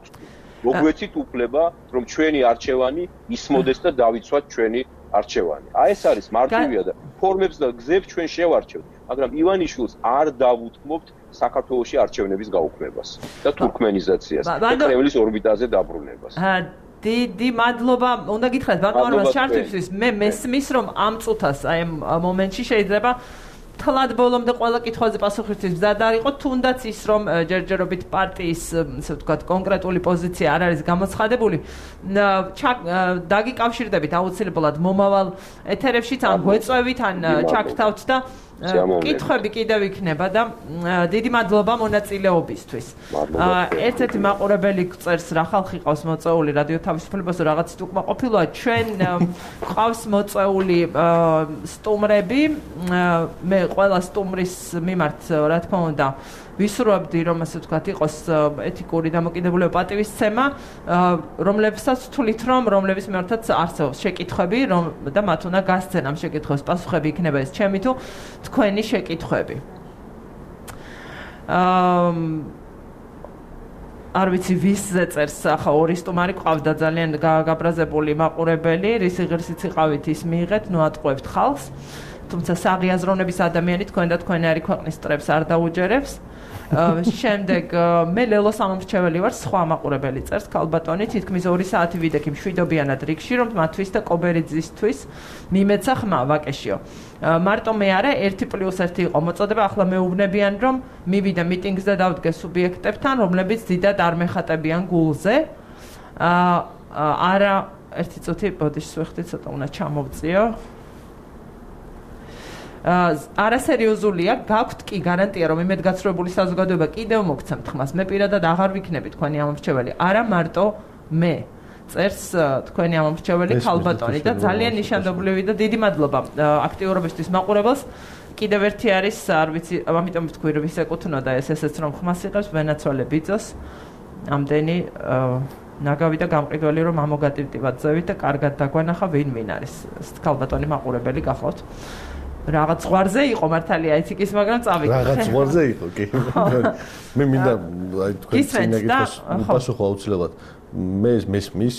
მოგვეცით უფლება რომ ჩვენი არჩევანი ისმოდეს და დავიცვათ ჩვენი არჩევანი. აი ეს არის მარტივია და ფორმებს და გზებს ჩვენ შევარჩევთ, მაგრამ ივანიშვილს არ დავუთმობთ საქართველოში არჩევნების გაუქმებას და თურქმენიზაციას და კრემლის ორბიტაზე დაბრუნებას. დიდი მადლობა. უნდა გითხრათ ბატონო შარტისთვის, მე მესმის რომ ამ წუთას აი ამ მომენტში შეიძლება თლად ბოლომდე ყველა კითხვაზე პასუხისთვის მზად არ იყო, თუნდაც ის რომ ჯერჯერობით პარტიის, ასე ვთქვათ, კონკრეტული პოზიცია არ არის გამოცხადებული. დაგიკავშირდებით აუცილებლად მომავალ ეთერებშიც, ან გვეწევით, ან ჩაგთავთ და კითხვები კიდევ იქნება და დიდი მადლობა მონაწილეობისთვის. ერთ-ერთი მაყურებელი წერს რა ხალხი ყავს მოწეული რადიო თავისუფლებას რაღაცით უკმაყოფილოა. ჩვენ ყავს მოწეული სტუმრები, მე ყველა სტუმრის მიმართ რა თქმა უნდა ვისურვებდი რომ ასე ვთქვათ იყოს ეთიკური დამოკიდებულება პატივისცემა, რომლებსაც თვლით რომ რომლების მიმართაც არსებობს შეკითხვები და მათ უნდა გასცენ ამ შეკითხვებს პასუხები იქნება ეს ჩემი თუ თქვენი შეკითხვები. აა არ ვიცი ვისზე წერს ახლა ორი სტუმარი ყავდა ძალიან გაბრაზებული მაყურებელი, რისი ღირსიც იყავით ის მიიღეთ, ნუ ატყუებთ ხალხს. თუმცა საღი აზროვნების ადამიანი თქვენ და თქვენი არის ქვეყნის წრებს არ დაუჯერებს. შემდეგ მე ლელოს ამომრჩეველი ვარ, სხვა მაყურებელი წერს ქალბატონი, თითქმის ორი საათი ვიდექი მშვიდობიანად რიგში, რომ მათთვის და კობერიძისთვის მიმეცა ხმა ვაკეშიო. მარტო მე არა ერთი პლუს ერთი იყო მოწოდება, ახლა მეუბნებიან, რომ მივიდა მიტინგს და დავდგე სუბიექტებთან, რომლებიც დიდად არ მეხატებიან გულზე. არა ერთი წუთი ბოდიშს ვეხდი, ცოტა უნდა ჩამოვწიო. არასერიოზულია, გაქვთ კი გარანტია, რომ იმედგაცრუებული საზოგადოება კიდევ მოგცემთ ხმას. მე პირადად აღარ ვიქნები თქვენი ამომრჩეველი, არა მარტო მე. წერს თქვენი ამომრჩეველი ქალბატონი და ძალიან ნიშანდობლივი და დიდი მადლობა აქტიურობისთვის მაყურებელს. კიდევ ერთი არის, არ ვიცი, ამიტომ ვთქვი, რომ ის ეკუთვნოდა ეს ესეც რომ ხმას იღებს ვენაცვალე ბიძოს. ამდენი ნაგავი და გამყიდველი რომ ამოგატივტივად ზევით და კარგად დაგვანახა ვინ ვინ არის. ქალბატონი მაყურებელი გახლავთ. რაღაც ზღვარზე იყო მართალია ეთიკის, მაგრამ წავიდე. რაღაც ზღვარზე იყო, კი. მე მინდა აი თქვენ წინაგებს პასუხო აუცილებლად. მე მესმის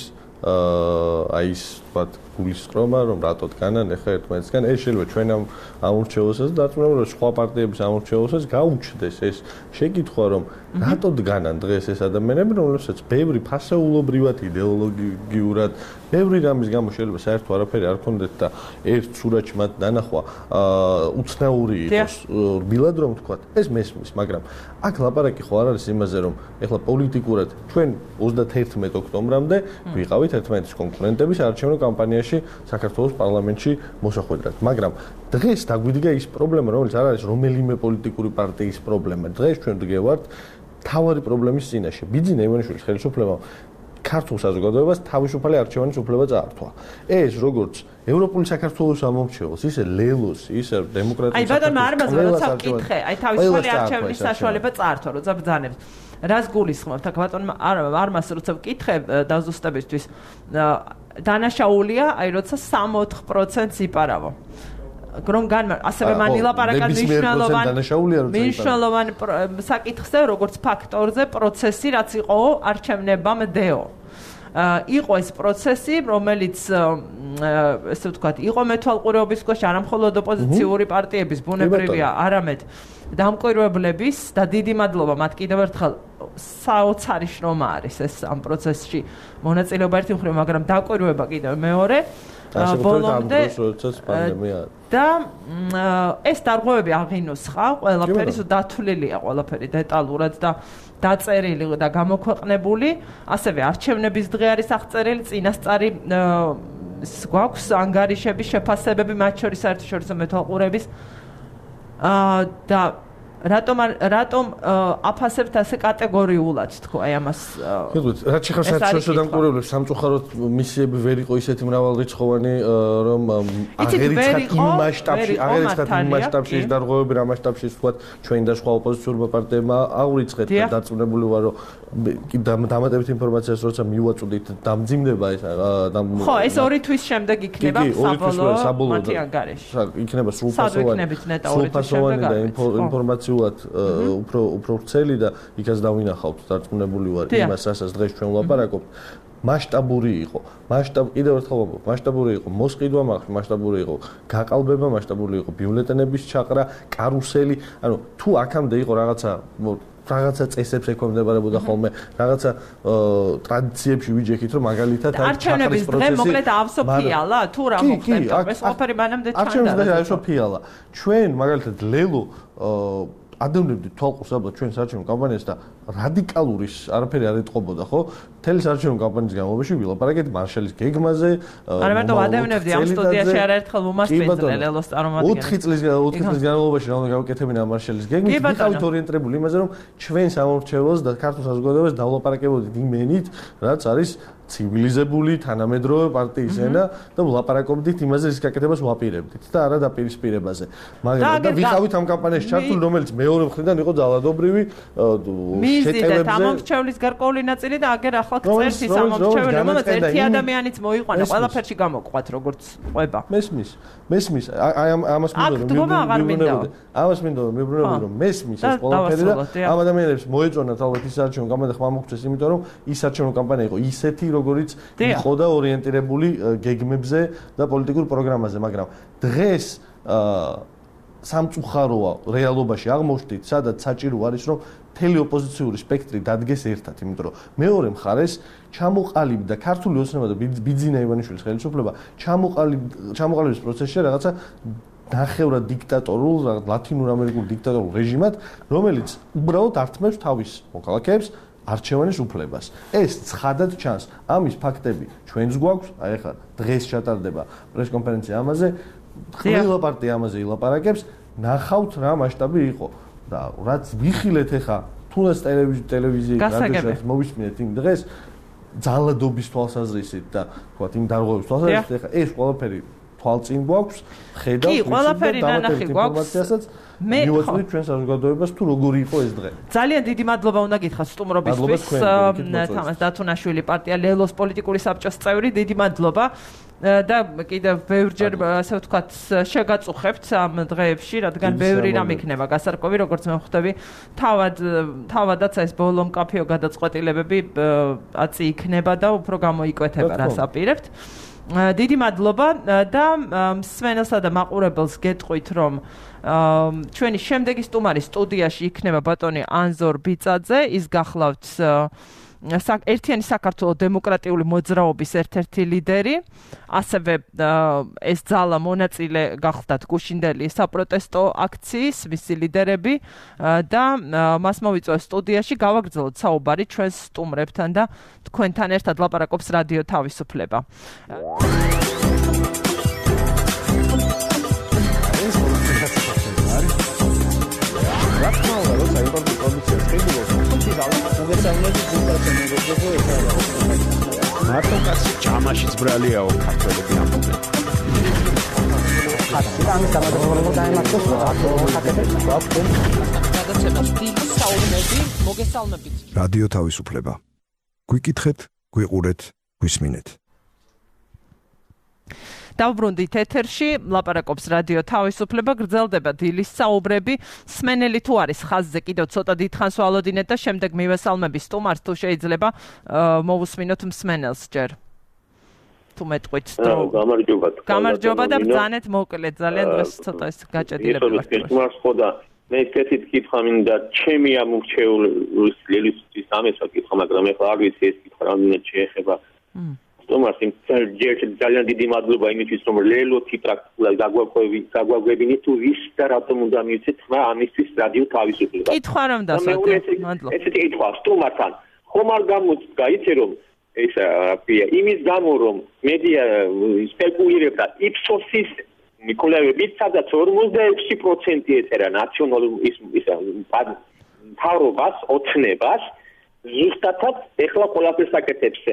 აი ის ვთქვათ გულისწყრომა, რომ რატო დგანან ახლა ერთმანეთსგან, ეს შეიძლება ჩვენ ამ ამორჩევასაც და დაწუნებულ რომ სხვა პარტიების ამორჩევასაც გაუჩნდეს ეს შეკითხვა, რომ რატო დგანან დღეს ეს ადამიანები, რომლებსაც ბევრი ფასეულობრივად იდეოლოგიურად, ბევრი რამის გამო შეიძლება საერთო არაფერი არ ქონდეთ და ერთ სურათში მათ დანახვა უცნაური იყოს, რბილად რომ ვთქვათ, ეს მესმის, მაგრამ აქ ლაპარაკი ხო არ არის იმაზე, რომ ეხლა პოლიტიკურად ჩვენ ოცდაათი ოქტომბრამდე ვიყავით ერთმანეთის კონკურენტების არჩევნო კამპანიაში საქართველოს პარლამენტში მოსახვედრად, მაგრამ დღეს დაგვიდგა ის პრობლემა, რომელიც არ არის რომელიმე პოლიტიკური პარტიის პრობლემა. დღეს ჩვენ ვდგევართ თავარი პრობლემის წინაშე. ბიძინა ივანიშვილის ხელისუფლებამ ქართულ საზოგადოებას თავისუფალი არჩევანის უფლება წაართვა. ეს როგორც ევროპული საქართველოს ამომრჩეველს, ისე ლელოს, ისე დემოკრატიის აი ბატონო არ მაძლევ როცა ვკითხე, აი თავისუფალი არჩევნის საშუალება წაართვა, როცა ბრძანებს. რას გულისხმობთ? აქ ბატონო არ არ მას როცა ვკითხე დაზუსტებისთვის დანაშაულია, აი როცა სამოთხ პროცენტს იპარავო. რომ განმა ასევე მანილაპარაკა მნიშვნელოვანი მნიშვნელოვანი საკითხზე, როგორც ფაქტორზე, პროცესი, რაც იყო არჩევნებამდეო. იყო ეს პროცესი, რომელიც ესე ვთქვათ, იყო მეთვალყურეობის ქვეშ არა მხოლოდ ოპოზიციური პარტიების, ბუნებრივია, არამედ დამკვირვებლების და დიდი მადლობა მათ კიდევ ერთხელ საოცარი შრომა არის ეს ამ პროცესში მონაწილეობა ერთი მხრივ, მაგრამ დაკვირვება კიდევ მეორე ბოლომდე და ეს დარღვევები აღინუსხა, ყველაფერი დათვლილია, ყველაფერი დეტალურად და დაწერილი და გამოქვეყნებული, ასევე არჩევნების დღე არის აღწერილი, წინასწარი გვაქვს ანგარიშების შეფასებები, მათ შორის საერთაშორისო მეთვალყურეების და რატომ რატომ აფასებთ ასე კატეგორიულად თქო აი ამას გეტყვით რაც შეხარ საერთაშორისო დამკვირვებლებს სამწუხაროდ მისიები ვერ იყო ისეთი მრავალრიცხოვანი რომ აღერიცხათ იმ მასშტაბში აღერიცხათ იმ მასშტაბში ის დარღვევები რა მასშტაბში ვთქვათ ჩვენ და სხვა ოპოზიციურმა პარტიებმა აურიცხეთ და დარწმუნებული ვარ რომ დამატებით ინფორმაციას როცა მივაწვდით დამძიმდება ეს ხო ეს ორი თვის შემდეგ იქნება საბოლოო მათი ანგარიში იქნება სრულფასოვანი და ინფორმაცია უფრო უფრო ვრცელი და იქაც დავინახავთ დარწმუნებული ვარ იმას რასაც დღეს ჩვენ ვლაპარაკობთ მასშტაბური იყო მასშტაბ კიდევ ერთხელ ვამბობ მასშტაბური იყო მოსყიდვა მასშტაბური იყო გაყალბება მასშტაბური იყო ბიულეტენების ჩაყრა კარუსელი ანუ თუ აქამდე იყო რაღაცა რაღაცა წესებს ეკონდებარებოდა ხოლმე რაღაცა ტრადიციებში ვიჯექით რომ მაგალითად არჩევნების დღე მოკლედ ავსოფიალა თუ რა მოხდებოდა ეს ოფერი მანამდე ჩანდა არჩევნების დღე ავსოფიალა ჩვენ მაგალითად ლელო ადევნებდით თვალყურს აბა ჩვენ საარჩევნო კამპანიას და რადიკალური არაფერი არ ეთყობოდა ხო მთელი საარჩევნო კამპანიის განმავლობაში ვილაპარაკეთ მარშალის გეგმაზე არა მარტო ადევნებდი ამ სტუდიაში არაერთხელ ვუმასპინძლე ლელოს წარმომადგენლებს ოთხი წლის ოთხი წლის განმავლობაში რა უნდა გავაკეთებინა ამ მარშალის გეგმით ვიყავით ორიენტირებული იმაზე რომ ჩვენ სამომრჩეველს და ქართულ საზოგადოებას დავლაპარაკებოდით იმენით რაც არის ცივილიზებული თანამედროვე პარტიის ენა და ვლაპარაკობდით იმაზე რის გაკეთებას ვაპირებდით და არა დაპირისპირებაზე მაგრამ და ვიყავით ამ კამპანიაში ჩართული რომელიც მეორე მხრიდან იყო ძალადობრივი შეტევებზე ამორჩევლის გარკვეული ნაწილი და აგერ ახლა წერს ის ამორჩეველი რომელიც ერთი ადამიანიც მოიყვანა ყველაფერში გამოყვათ როგორც ყვება მესმის მესმის აი ამას მინდოდა რომ ამას მინდოდა მეუბნებოდი რომ მესმის ეს ყველაფერი და ამ ადამიანებს მოეწონათ ალბათ ის არჩევნო კამპანია ხმა მოხდეს იმიტომ რომ ის არჩევნო კამპანია იყო ისეთი როგორც იყო და ორიენტირებული გეგმებზე და პოლიტიკურ პროგრამაზე, მაგრამ დღეს სამწუხაროა რეალობაში აღმოჩნდით, სადაც საჭირო არის რომ მთელი ოპოზიციური სპექტრი დადგეს ერთად, იმიტომ რომ მეორე მხარეს ჩამოყალიბდა ქართული ოცნება და ბიძინა ივანიშვილის ხელისუფლება ჩამოყალიბების პროცესში რაღაცა ნახევრად დიქტატორულ, ლათინურ ამერიკულ დიქტატორულ რეჟიმად, რომელიც უბრალოდ ართმევს თავის მოქალაქეებს არჩევანის უფლებას. ეს ცხადად ჩანს. ამის ფაქტები ჩვენს გვაქვს, აი ახლა დღეს ჩატარდება პრესკონფერენცია ამაზე, ყველა პარტია ამაზე ილაპარაკებს, ნახავთ რა მასშტაბი იყო. და რაც ვიხილეთ ახლა თუნდაც ტელევიზიით, რადიოშიც მოვისმინეთ იმ დღეს ძალადობის თვალსაზრისით და თქვათ იმ დარღვევების თვალსაზრისით, ახლა ეს ყველაფერი თვალწინ გვაქვს, ხედავთ კი, ყველაფერი ნანახი გვაქვს. მე მივაწვდით ჩვენ საზოგადოებას თუ როგორი იყო ეს დღე. ძალიან დიდი მადლობა უნდა გითხრათ სტუმრობისთვის. თამაზ დათუნაშვილი პარტია ლელოს პოლიტიკური საბჭოს წევრი, დიდი მადლობა. და კიდევ ბევრჯერ ასე ვთქვათ შეგაწუხებთ ამ დღეებში, რადგან ბევრი რამ იქნება გასარკვევი, როგორც მე ხვდები, თავად თავადაც ეს ბოლო მკაფიო გადაწყვეტილებები აწი იქნება და უფრო გამოიკვეთება რას აპირებთ. დიდი მადლობა და მსმენელსა და მაყურებელს გეტყვით, რომ ჩვენი შემდეგი სტუმარი სტუდიაში იქნება ბატონი ანზორ ბიწაძე, ის გახლავთ ერთიანი საქართველოს დემოკრატიული მოძრაობის ერთ-ერთი ლიდერი, ასევე ეს ძალა მონაწილე გახლდათ გუშინდელი საპროტესტო აქციის მისი ლიდერები და მას მოვიწვევს სტუდიაში გავაგრძელოთ საუბარი ჩვენს სტუმრებთან და თქვენთან ერთად ლაპარაკობს რადიო თავისუფლება. მარტო კაცი ჯამაშიც ბრალიაო ქართველები ამბობენ. ამის გამარჯვება დაემართოს რადიო თავისუფლება. გვიკითხეთ, გვიყურეთ, გვისმინეთ. დავბრუნდით ეთერში, ლაპარაკობს რადიო თავისუფლება, გრძელდება დილის საუბრები. სმენელი თუ არის ხაზზე, კიდევ ცოტა დიდხანს ვალოდინეთ და შემდეგ მივესალმები სტუმარს, თუ შეიძლება მოვუსმინოთ მსმენელს ჯერ. თუ მეტყვით დრო. გამარჯობა. გამარჯობა და ბრძანეთ მოკლედ, ძალიან დღეს ცოტა ეს გაჭედილები ვართ. ეს სტუმარს ხოდა მე ესეთი კითხვა მინდა, ჩემი ამორჩეული ლელისთვის ამეცა კითხვა, მაგრამ ეხლა არ ვიცი ეს კითხვა რამდენად შეეხება. სტუმარს ძალიან დიდი მადლობა იმისთვის, რომ ლელოთი პრაქტიკულად გაგვაგვებინეთ თუ ვის და რატომ უნდა მივცეთ ხმა ამისთვის რადიო თავისუფლება. კითხვა რომ დასვათ. მადლობა. ესეთი კითხვა სტუმართან ხომ არ გამოწდა იცი რომ ეს რა იმის გამო რომ მედია სპეკულირებდა იფსოსის კვლევებით, სადაც ორმოცდაექვსი პროცენტი ეწერა ნაციონალურ ის მთავრობას, ოცნებას, ზუსტადაც ეხლა ყველაფერს აკეთებს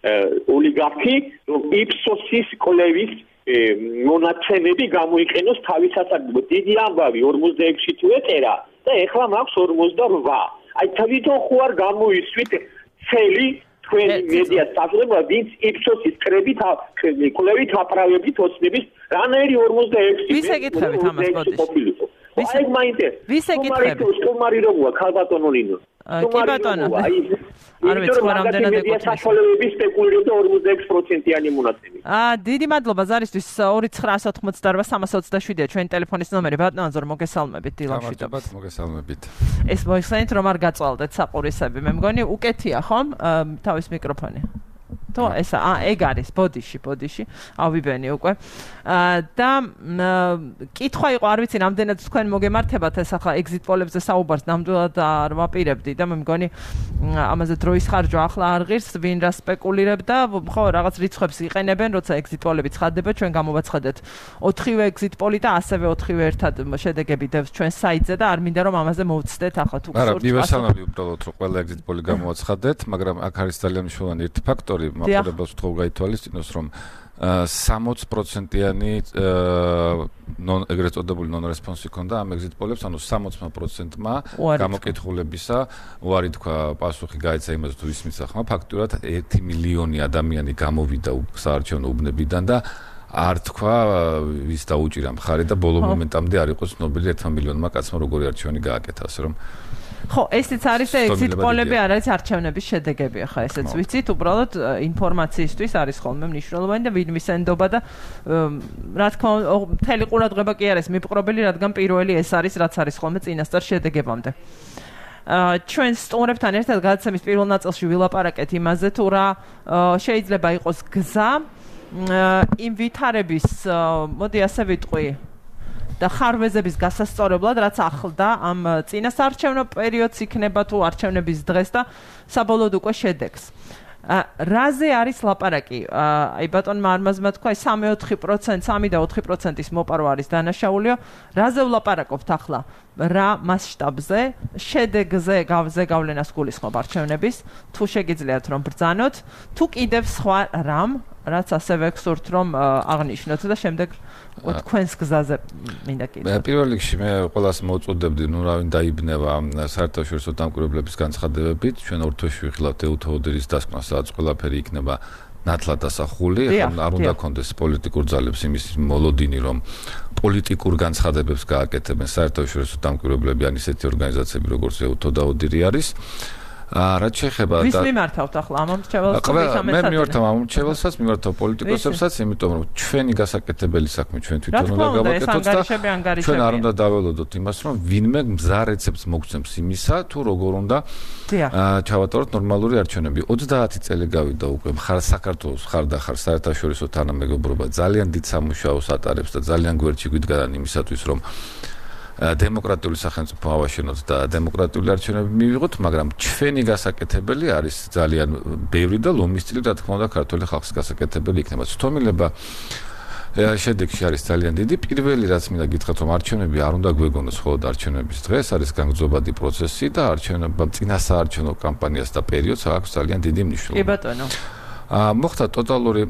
ოლიგარქი, რომ იფსოსის კვლევის მონაცემები გამოიყენოს თავის სასარგებლოდ. დიდი ამბავი ორმოცდაექვსი თუ ეწერა და ეხლა მაქვს ორმოცდაორვა. აი თვითონ ხო არ გამოისვით цели თქვენი მედია სტატუსება, ვინც იფსოსის კრებით კვლევით აპრავებით ოცნების რანაირი ორმოცდაექვსი. ვის ეკითხებით ამას ბოდიში? აი მაინტერესებს. ვის ეკითხებით? სტუმარი როგორია ქალბატონო ნინო? კი ბატონო. არ ვიცი რა რამდენად ეკუთვნის. საშუალებები სპეკულირებდა ორმოცდაექვსი პროცენტიანი მონაცემი. აა დიდი მადლობა ზარისთვის ორი ცხრა ოცდაოთხმოცდაორვა სამას ოცდაშვიდია ჩვენი ტელეფონის ნომერი. ბატონო ანზორ მოგესალმებით დილამშვიდობთ. მოგესალმებით. ეს მოიხსენით რომ არ გაწვალდეთ საყურისები. მე მგონი უკეთია ხომ თავის მიკროფონი. თო ესა აა ეგ არის ბოდიში ბოდიში ავიბენი უკვე და კითხვა იყო არ ვიცი რამდენად თქვენ მოგემართებათ ეს ახლა ეგზიტ პოლებზე საუბარს ნამდვილად არ ვაპირებდი და მე მგონი ამაზე დროის ხარჯვა ახლა არ ღირს ვინ რა სპეკულირებდა ხო რაღაც რიცხვებს იყენებენ როცა ეგზიტ პოლები ცხადდება ჩვენ გამოვაცხადეთ ოთხივე ეგზიტ პოლი და ასევე ოთხივე ერთად შედეგები დევს ჩვენ საიტზე და არ მინდა რომ ამაზე მოვცდეთ ახლა თუ გსურთ არა მივესალმები უბრალოდ რომ ყველა ეგზიტ პოლი გამოვაცხადეთ მაგრამ აქ არის ძალიან მნიშვნელოვანი ერთი ფაქტორი მაყურებელს ვთქვი გაითვალისწინოს რომ სამოცი პროცენტიანი ნონ ეგრეთ წოდებული ნონ რესპონსი ქონდა ამ ეგზიტ პოლებს ანუ სამოცი პროცენტმა გამოკითხულებისა უარი თქვა პასუხი გაიცა იმას თუ ის მისახმა ფაქტურად ერთი მილიონი ადამიანი გამოვიდა საარჩევნო უბნებიდან და არ თქვა ვის დაუჭირა მხარი და ბოლო მომენტამდე არ იყო ცნობილი ერთმა მილიონმა კაცმა როგორი არჩევანი გააკეთა ასე რომ ხო, ესეც არის და exit poll-ები არ არის არჩევნების შედეგები, ახლა ესეც ვიცით, უბრალოდ ინფორმაციისთვის არის ხოლმე მნიშვნელოვანი და ვინ მისენდობა და რა თქმა უნდა, მთელი ყურადღება კი არის მიპყრობელი, რადგან პირველი ეს არის, რაც არის ხოლმე წინასწარ შედეგებამდე. ჩვენ სტუმრებთან ერთად გადაცემის პირველ ნაწილში ვილაპარაკეთ იმაზე, თუ რა შეიძლება იყოს გზა იმ ვითარების, მოდი ასე ვიტყვი, და ხარვეზების გასასწორებლად, რაც ახლდა ამ წინასაარჩევნო პერიოდს იქნება თუ არჩევნების დღეს და საბოლოოდ უკვე შედეგს. რაზე არის ლაპარაკი? აი ბატონმა არმაზმა თქვა, აი სამი-ოთხი პროცენტი, სამი და ოთხი პროცენტის მოპარვა არის დანაშაულიო. რაზე ვლაპარაკობთ ახლა? რა მასშტაბზე, შედეგზე გავზე გავლენას გულისხმობ არჩევნების, თუ შეგიძლიათ რომ ბრძანოთ, თუ კიდევ სხვა რამ, რაც ასევე გსურთ რომ აღნიშნოთ და შემდეგ თქვენს გზაზე მინდა კიდე. პირველ რიგში მე ყველას მოუწოდებდი, ნუ რა ვინ დაიბნება საერთაშორისო დამკვირვებლების განცხადებებით, ჩვენ ორთვეში ვიხილავთ ეუთოოდერის დასკვნას, სადაც ყველაფერი იქნება ნათლად დასახული, ახლა არ უნდა კონდეს პოლიტიკურ ძალებს იმის მოლოდინი, რომ პოლიტიკურ განცხადებებს გააკეთებენ საერთაშორისო დამკვირვებლები ან ისეთი ორგანიზაციები, როგორც ეუთო და ოდირი არის. რაც შეეხება და ვის მიმართავთ ახლა ამ მრჩეველსაც? მე მიმართავ ამ მრჩეველსაც, მიმართავ პოლიტიკოსებსაც, იმიტომ რომ ჩვენი გასაკეთებელი საქმე ჩვენ თვითონ უნდა გავაკეთოთ და ჩვენ არ უნდა დაველოდოთ იმას, რომ ვინმე მზა რეცეპტს მოგცემს იმისა, თუ როგორ უნდა ჩავატაროთ ნორმალური არჩევნები. ოცდაათი წელი გავიდა უკვე მხარ საქართველოს ხარ და ხარ საერთაშორისო თანამეგობრობა ძალიან დიდ სამუშაოს ატარებს და ძალიან გვერდში გვიდგანან იმისათვის, რომ დემოკრატიული სახელმწიფო ავაშენოთ და დემოკრატიული არჩევნები მივიღოთ, მაგრამ ჩვენი გასაკეთებელი არის ძალიან ბევრი და ლომისწილი, რა თქმა უნდა, ქართული ხალხის გასაკეთებელი იქნება. ცდომილება შედეგში არის ძალიან დიდი. პირველი რაც მინდა გითხრათ, რომ არჩევნები არ უნდა გვეგონოს მხოლოდ არჩევნების დღეს, არის განგრძობადი პროცესი და არჩევნებამ წინასაარჩევნო კამპანიას და პერიოდს აქვს ძალიან დიდი მნიშვნელობა. კი ბატონო. მოხდა ტოტალური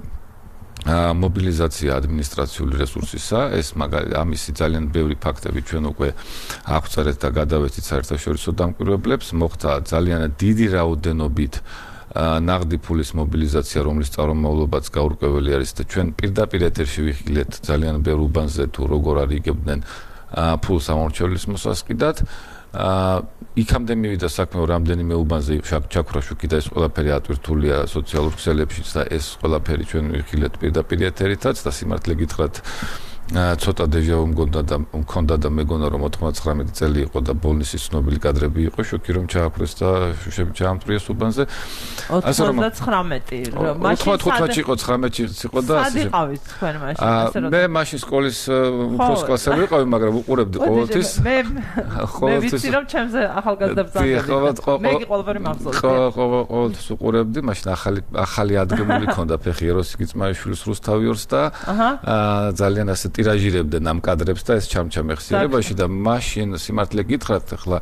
მობილიზაცია ადმინისტრაციული რესურსისა, ეს მაგალითად ამისი ძალიან ბევრი ფაქტები ჩვენ უკვე აღწერეთ და გადავეცით საერთაშორისო დამკვირვებლებს, მოხდა ძალიან დიდი რაოდენობით ნაღდი ფულის მობილიზაცია, რომლის წარმომავლობაც გაურკვეველი არის და ჩვენ პირდაპირ ეთერში ვიხილეთ ძალიან ბევრ უბანზე თუ როგორ არიგებდნენ ფულს ამორჩევლის მოსასყიდად. იქამდე მივიდა საქმე, რამდენიმე უბანზე ჩაქრაშუქი და ეს ყველაფერი ატვირთულია სოციალურ ქსელებშიც და ეს ყველაფერი ჩვენ ვიხილეთ პირდაპირ ეთერითაც და სიმართლე გითხრათ, ცოტა დეჟავუ მგონდა და მქონდა და მეგონა რომ ოთხმოცდათხმეტი წელი იყო და ბოლნისის ცნობილი კადრები იყო, შოქი რომ ჩააქრეს და შუშები ჩაამტვრიეს უბანზე. ოცდათხრამეტი მაშინ ოცდათხუთში იყო, ცხრამეტში იყო და სად იყავით თქვენ მაშინ? ასე რომ მე მაშინ სკოლის უფროს კლასელი ვიყავი, მაგრამ უყურებდი ყოველთვის. მე მე ვიცი რომ ჩემზე ახალგაზრდა ბრძანდება. მე კი ყველაფერი მახსოვს. ყოველთვის უყურებდი, მაშინ ახალი ახალი ადგემული ქონდა ფეხი ეროსი ძმაიშვილის რუსთავიორს და ძალიან ასე ტირაჟირებდნენ ამ კადრებს და ეს ჩამჩამეხსიერებაში და მაშინ სიმართლე გითხრათ, ახლა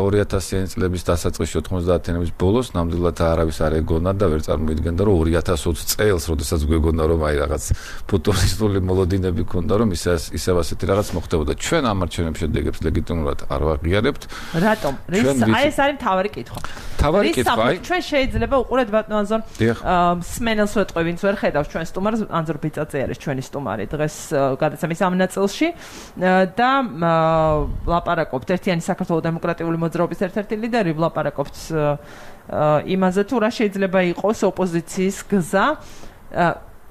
ორი ათასიანი წლების დასაწყისში ოთხმოცდაათიანების ბოლოს ნამდვილად არავის არ ეგონა და ვერ წარმოიდგენდა რომ ორი ათას ოცი წელს, როდესაც გვეგონა რომ აი რაღაც ფუტურისტული მოლოდინები ქონდა, რომ ისე ისევ ასეთი რაღაც მოხდებოდა. ჩვენ ამ არჩევნების შედეგებს ლეგიტიმურად არ ვაღიარებთ. რატომ? აი ეს არის მთავარი კითხვა. მთავარი კითხვა, აი ჩვენ შეიძლება უყურეთ ბატონ ანზორ სმენელს ვეტყვი, ვინც ვერ ხედავს ჩვენ სტუმარს, ანზორ ბიწაწე არის ჩვენი სტუმარი დღეს გადაცემის ამ ნაწილში და ლაპარაკობთ ერთიანი საქართველოს დემოკრატიული მოძრაობის ერთ-ერთი ლიდერი, ვლაპარაკობთ იმაზე თუ რა შეიძლება იყოს ოპოზიციის გზა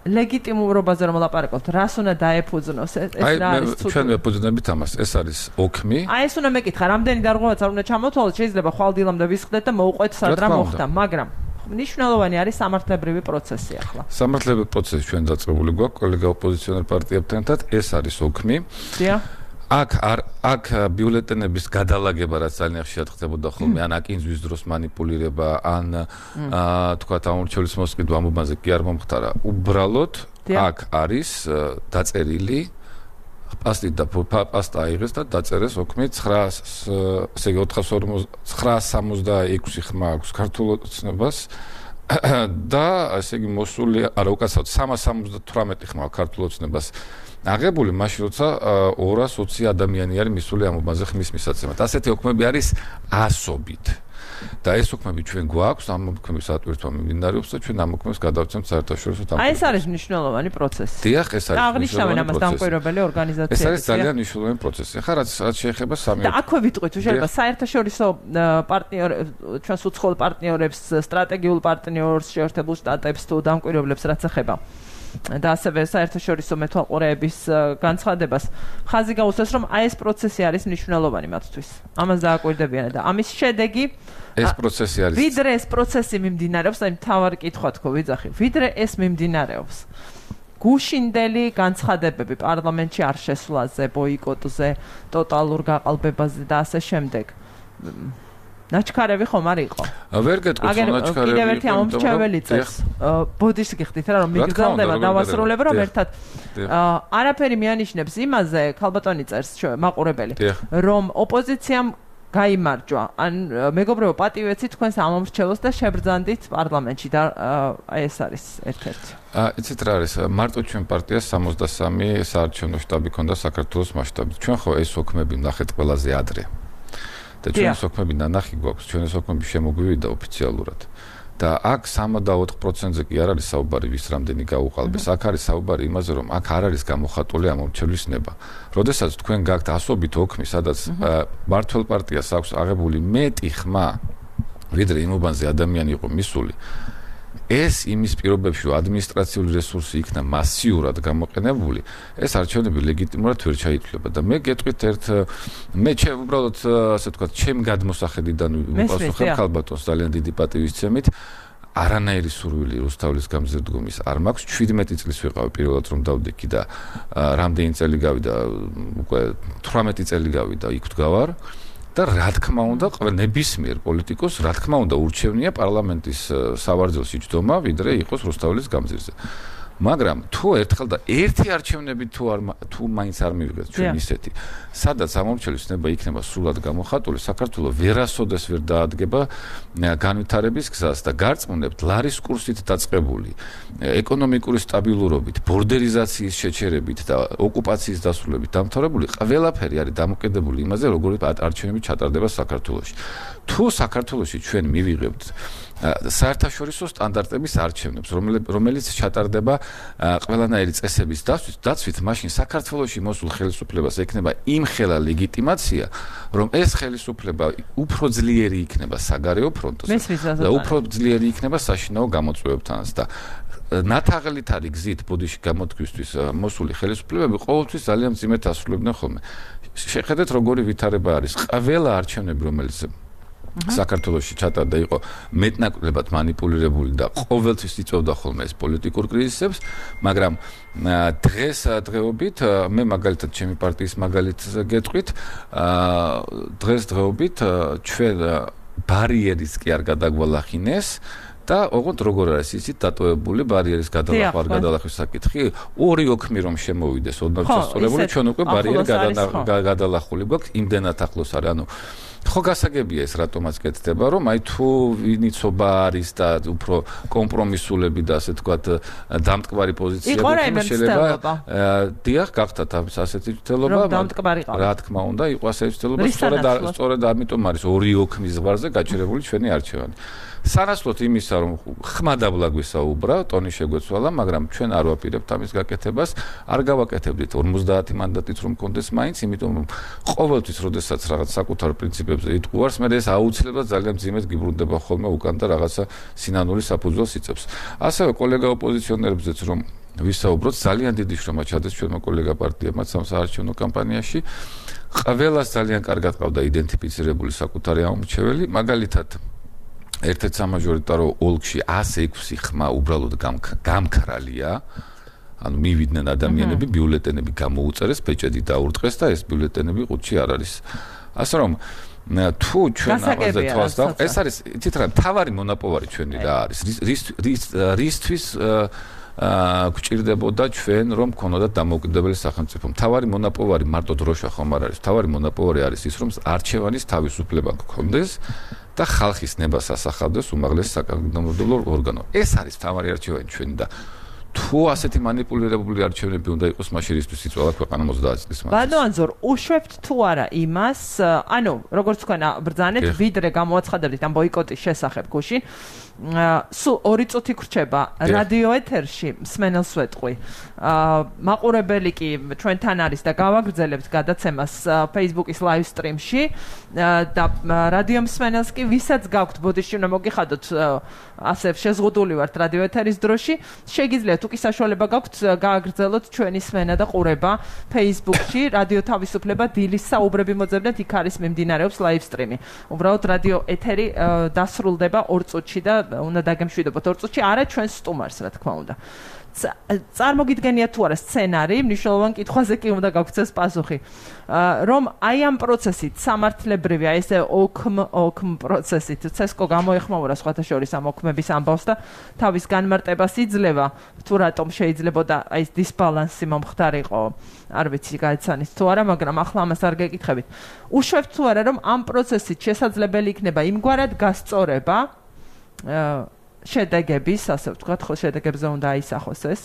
ლეგიტიმურობაზე რომ ლაპარაკობთ, რას უნდა დაეფუძნოს ეს რა არის ცუდ. აი ჩვენ ვეფუძნებით ამას, ეს არის ოქმი. აი ეს უნდა მეკითხა, რამდენი დარღვევაც არ უნდა ჩამოთვალოთ, შეიძლება ხვალდილამდე ვისხდეთ და მოუყვეთ სად რა მოხდა, მაგრამ ნიშნულოვანი არის სამართლებრივი პროცესი ახლა. სამართლებრივი პროცესი ჩვენ დაწყებული გვაქვს კოლეგა ოპოზიციონერ პარტიებთან ერთად, ეს არის ოქმი. დიახ. აქ არ აქ ბიულეტენების გადალაგება რაც ძალიან ხშირად ხდებოდა ხოლმე, ან აკინზვის დროს манипуლირება, ან თქვათ ამორჩევლის მოსყიდვა ამ უბანზე კი არ მომხდარა. უბრალოდ აქ არის დაწერილი პასტით და პასტა აიღეს და დაწერეს ოქმი ცხრას ესე იგი ოთხას სამოცდაექვსი ხმა აქვს ქართულ ოცნებას და ესე იგი მოსული არა უკაცრავად სამას სამოცდათვრამეტი ხმა ქართულ ოცნებას აღებული მაშინ როცა ორას ოცი ადამიანი არის მისული ამ უბანზე ხმის მისაცემად. ასეთი ოქმები არის ასობით. და ეს უქმები ჩვენ გვაქვს, ამ უქმების ატვირთვა მიმდინარეობს და ჩვენ ამ უქმებს გადავცემთ საერთაშორისო დამკვირვებლობას. აი ეს არის მნიშვნელოვანი პროცესი. დიახ, ეს არის. აღნიშნავენ ამას დამკვირვებელი ორგანიზაციები. ეს არის ძალიან მნიშვნელოვანი პროცესი. ახლა რაც რაც შეეხება სამი და აქვე ვიტყვით, თუ შეიძლება საერთაშორისო პარტნიორ ჩვენს უცხოელ პარტნიორებს, სტრატეგიულ პარტნიორს, შეერთებულ შტატებს თუ დამკვირვებლებს რაც ეხება და ასევე საერთაშორისო მეთვალყურეების განცხადებას ხაზი გაუსვეს, რომ აი ეს პროცესი არის მნიშვნელოვანი მათთვის. ამას დააკვირდებიან და ამის შედეგი ეს პროცესი არის. ვიდრე ეს პროცესი მიმდინარეობს, აი მთავარი კითხვა თქო ვიძახი, ვიდრე ეს მიმდინარეობს. გუშინდელი განცხადებები პარლამენტში არ შესვლაზე, ბოიკოტზე, ტოტალურ გაყალბებაზე და ასე შემდეგ. ნაჩქარევი ხომ არ იყო? ვერ გეტყვით, რომ ნაჩქარევი. კიდევ ერთი ამომრჩეველი წეს. ბოდიშს გიხდით რა, რომ მიგრძელდება დავასრულებ, რომ ერთად არაფერი მიანიშნებს იმაზე, ქალბატონი წერს მაყურებელი, რომ ოპოზიციამ გაიმარჯვა. ან მეგობრებო, პატივეცი თქვენს ამომრჩეველს და შებრძანდით პარლამენტში და აი ეს არის ერთ-ერთი. აა, იცით რა არის? მარტო ჩვენ პარტიას სამოცდასამი საარჩევნო შტაბი ქონდა საქართველოს მასშტაბით. ჩვენ ხო ეს ოქმები ნახეთ ყველაზე ადრე. და ჩვენ სოქმები ნანახი გვაქვს, ჩვენ სოქმები შემოგვივიდა ოფიციალურად. და აქ სამოცდაოთხ პროცენტზე კი არ არის საუბარი ვის რამდენი გაუყალბეს. აქ არის საუბარი იმაზე, რომ აქ არ არის გამოხატული ამომრჩევლის ნება. როდესაც თქვენ გაქვთ ასობით ოქმი, სადაც მართლ პარტიას აქვს აღებული მეტი ხმა, ვიდრე იმ უბანზე ადამიანი იყო მისული. ეს იმის პირობებში, რომ ადმინისტრაციული რესურსი იქნა მასიურად გამოყენებული, ეს არჩევნები ლეგიტიმურად ვერ ჩაითვლება და მე გეტყვით ერთ მე ჩემ უბრალოდ ასე ვთქვათ, ჩემ გადმოსახედიდან ვიპასუხებ ქალბატონს ძალიან დიდი პატივისცემით. არანაირი სურვილი რუსთაველის გამზირდგომის არ მაქვს. შვიდმეტი წლის ვიყავი პირველად რომ დავდექი და რამდენი წელი გავიდა, უკვე თვრამეტი წელი გავიდა იქ ვდგავარ. და რა თქმა უნდა, ყველა ნებისმიერ პოლიტიკოს, რა თქმა უნდა, ურჩევნია პარლამენტის სავარძელში ჯდომა, ვიდრე იყოს რუსთაველის გამზირზე. მაგრამ თუ ერთხელ და ერთი არჩევნები თუ არ თუ მაინც არ მივიღეთ ჩვენ ისეთი, სადაც ამომრჩევის ნება იქნება სრულად გამოხატული, საქართველოს ვერასოდეს ვერ დაადგება განვითარების გზას და გარწმუნებთ ლარის კურსით დაწყებული ეკონომიკური სტაბილურობით, ბორდერიზაციის შეჩერებით და ოკუპაციის დასრულებით დამთავრებული ყველაფერი არის დამოკიდებული იმაზე, როგორი არჩევნები ჩატარდება საქართველოში. თუ საქართველოში ჩვენ მივიღებთ საერთაშორისო სტანდარტების არჩევნებს, რომელიც ჩატარდება ყველანაირი წესების დაცვით, მაშინ საქართველოში მოსულ ხელისუფლებას ექნება იმხელა ლეგიტიმაცია, რომ ეს ხელისუფლება უფრო ძლიერი იქნება საგარეო ფრონტზე და უფრო ძლიერი იქნება საშინაო გამოწვევებთანაც და ნათაღლით არის გზით ბოდიში გამოთქვისთვის მოსული ხელისუფლებები ყოველთვის ძალიან მძიმედ ასრულებდნენ ხოლმე. შეხედეთ როგორი ვითარება არის. ყველა არჩევნები, რომელიც საქართველოში ჩატარდა იყო მეტნაკლებად манипуლირებული და ყოველთვის იწვევდა ხოლმე ეს პოლიტიკურ კრიზისებს, მაგრამ დღეს დღეობით მე მაგალითად ჩემი პარტიის მაგალითს გეტყვით, დღეს დღეობით ჩვენ ბარიერის კი არ გადაგვალახინეს და ოღონდ როგორ არის იცით დატოვებული ბარიერის გადალახვა გადალახვის საკითხი, ორი ოქმი რომ შემოვიდეს ოდნავ შესწორებული, ჩვენ უკვე ბარიერი გადალახული გვაქვს, იმდენად ახლოს არის, ანუ ხო გასაგებია ეს რატომაც კეთდება, რომ აი თუ ვინიცობა არის და უფრო კომპრომისულები და ასე თქვათ დამტკვარი პოზიციები შეიძლება დიახ გახდათ ასეთი ცდელობა, რა თქმა უნდა, იყო ასეთი ცდელობა, სწორედ სწორედ ამიტომ არის ორი ოქმის ზღვარზე გაჩერებული ჩვენი არჩევანი. სანაცვლოდ იმისა, რომ ხმა დაბლა გვისაუბრა, ტონი შეგვეცვალა, მაგრამ ჩვენ არ ვაპირებთ ამის გაკეთებას, არ გავაკეთებდით ორმოცდაათი მანდატით რომ კონდეს მაინც, იმიტომ რომ ყოველთვის, როდესაც რაღაც საკუთარ პრინციპებზე იტყუარს, მე ეს აუცილებლად ძალიან მძიმედ გიბრუნდება ხოლმე უკან და რაღაცა სინანული საფუძველს იწევს. ასევე კოლეგა ოპოზიციონერებზეც რომ ვისაუბროთ, ძალიან დიდი შრომა ჩადეს ჩვენმა კოლეგა პარტიებმა სამსაარჩევნო კამპანიაში. ყველას ძალიან კარგად ყავდა იდენტიფიცირებული საკუთარი ამომრჩეველი, მაგალითად ერთ-ერთ სამაჟორიტარო ოლქში ასი ექვსი ხმა უბრალოდ გამქრალია, ანუ მივიდნენ ადამიანები, ბიულეტენები გამოუწერეს, პეჭედი დაურტყეს და ეს ბიულეტენები ყუთში არ არის. ასე რომ თუ ჩვენ ამაზე თვალს დავყავთ, ეს არის იცით რა, მთავარი მონაპოვარი ჩვენი რა არის, რისთვის გვჭირდებოდა ჩვენ რომ ქონოდათ დამოუკიდებელი სახელმწიფო. მთავარი მონაპოვარი მარტო დროშა ხომ არ არის, მთავარი მონაპოვარი არის ის, რომ არჩევანის თავისუფლება გქონდეს და ხალხის ნებას ასახავდეს უმაღლეს საკანონმდებლო ორგანო. ეს არის მთავარი არჩევანი ჩვენი და თუ ასეთი манипуლირებული არჩევნები უნდა იყოს, მაშინ რისთვის იწვალა ქვეყანა ოცდაათი წლის მანძილზე. ბატონო ანზორ, უშვებთ თუ არა იმას, ანუ როგორც თქვენ ბრძანეთ, ვიდრე გამოაცხადებდით ამ ბოიკოტის შესახებ გუშინ, სულ ორი წუთი გრჩება რადიო ეთერში მსმენელს ვეტყვი. მაყურებელი კი ჩვენთან არის და გავაგრძელებთ გადაცემას Facebook-ის live stream-ში და რადიო მსმენელს კი ვისაც გაქვთ ბოდიში უნდა მოგიხადოთ ასე შეზღუდული ვართ რადიო ეთერის დროში, შეგიძლიათ თუ კი საშუალება გაქვთ გააგრძელოთ ჩვენი სმენა და ყურება Facebook-ში რადიო თავისუფლება დილის საუბრები მოძებნეთ, იქ არის მიმდინარეობს live stream-ი. უბრალოდ რადიო ეთერი დასრულდება ორ წუთში და უნდა დაგემშვიდობოთ ორ წუთში, არა ჩვენს სტუმარს, რა თქმა უნდა. წარმოგიდგენია თუ არა სცენარი, მნიშვნელოვან კითხვაზე კი უნდა გაგვცეს პასუხი. რომ აი ამ პროცესით სამართლებრივი, აი ესე ოქმ ოქმ პროცესით ცესკო გამოეხმაურა სხვათა შორის ამ ოქმების ამბავს და თავის განმარტებას იძლევა, თუ რატომ შეიძლებოდა აი ეს დისბალანსი მომხდარიყო, არ ვიცი გაიცანით თუ არა, მაგრამ ახლა ამას არ გეკითხებით. უშვებთ თუ არა რომ ამ პროცესით შესაძლებელი იქნება იმგვარად გასწორება შედეგების, ასე ვთქვათ, ხო შედეგებზე უნდა აისახოს ეს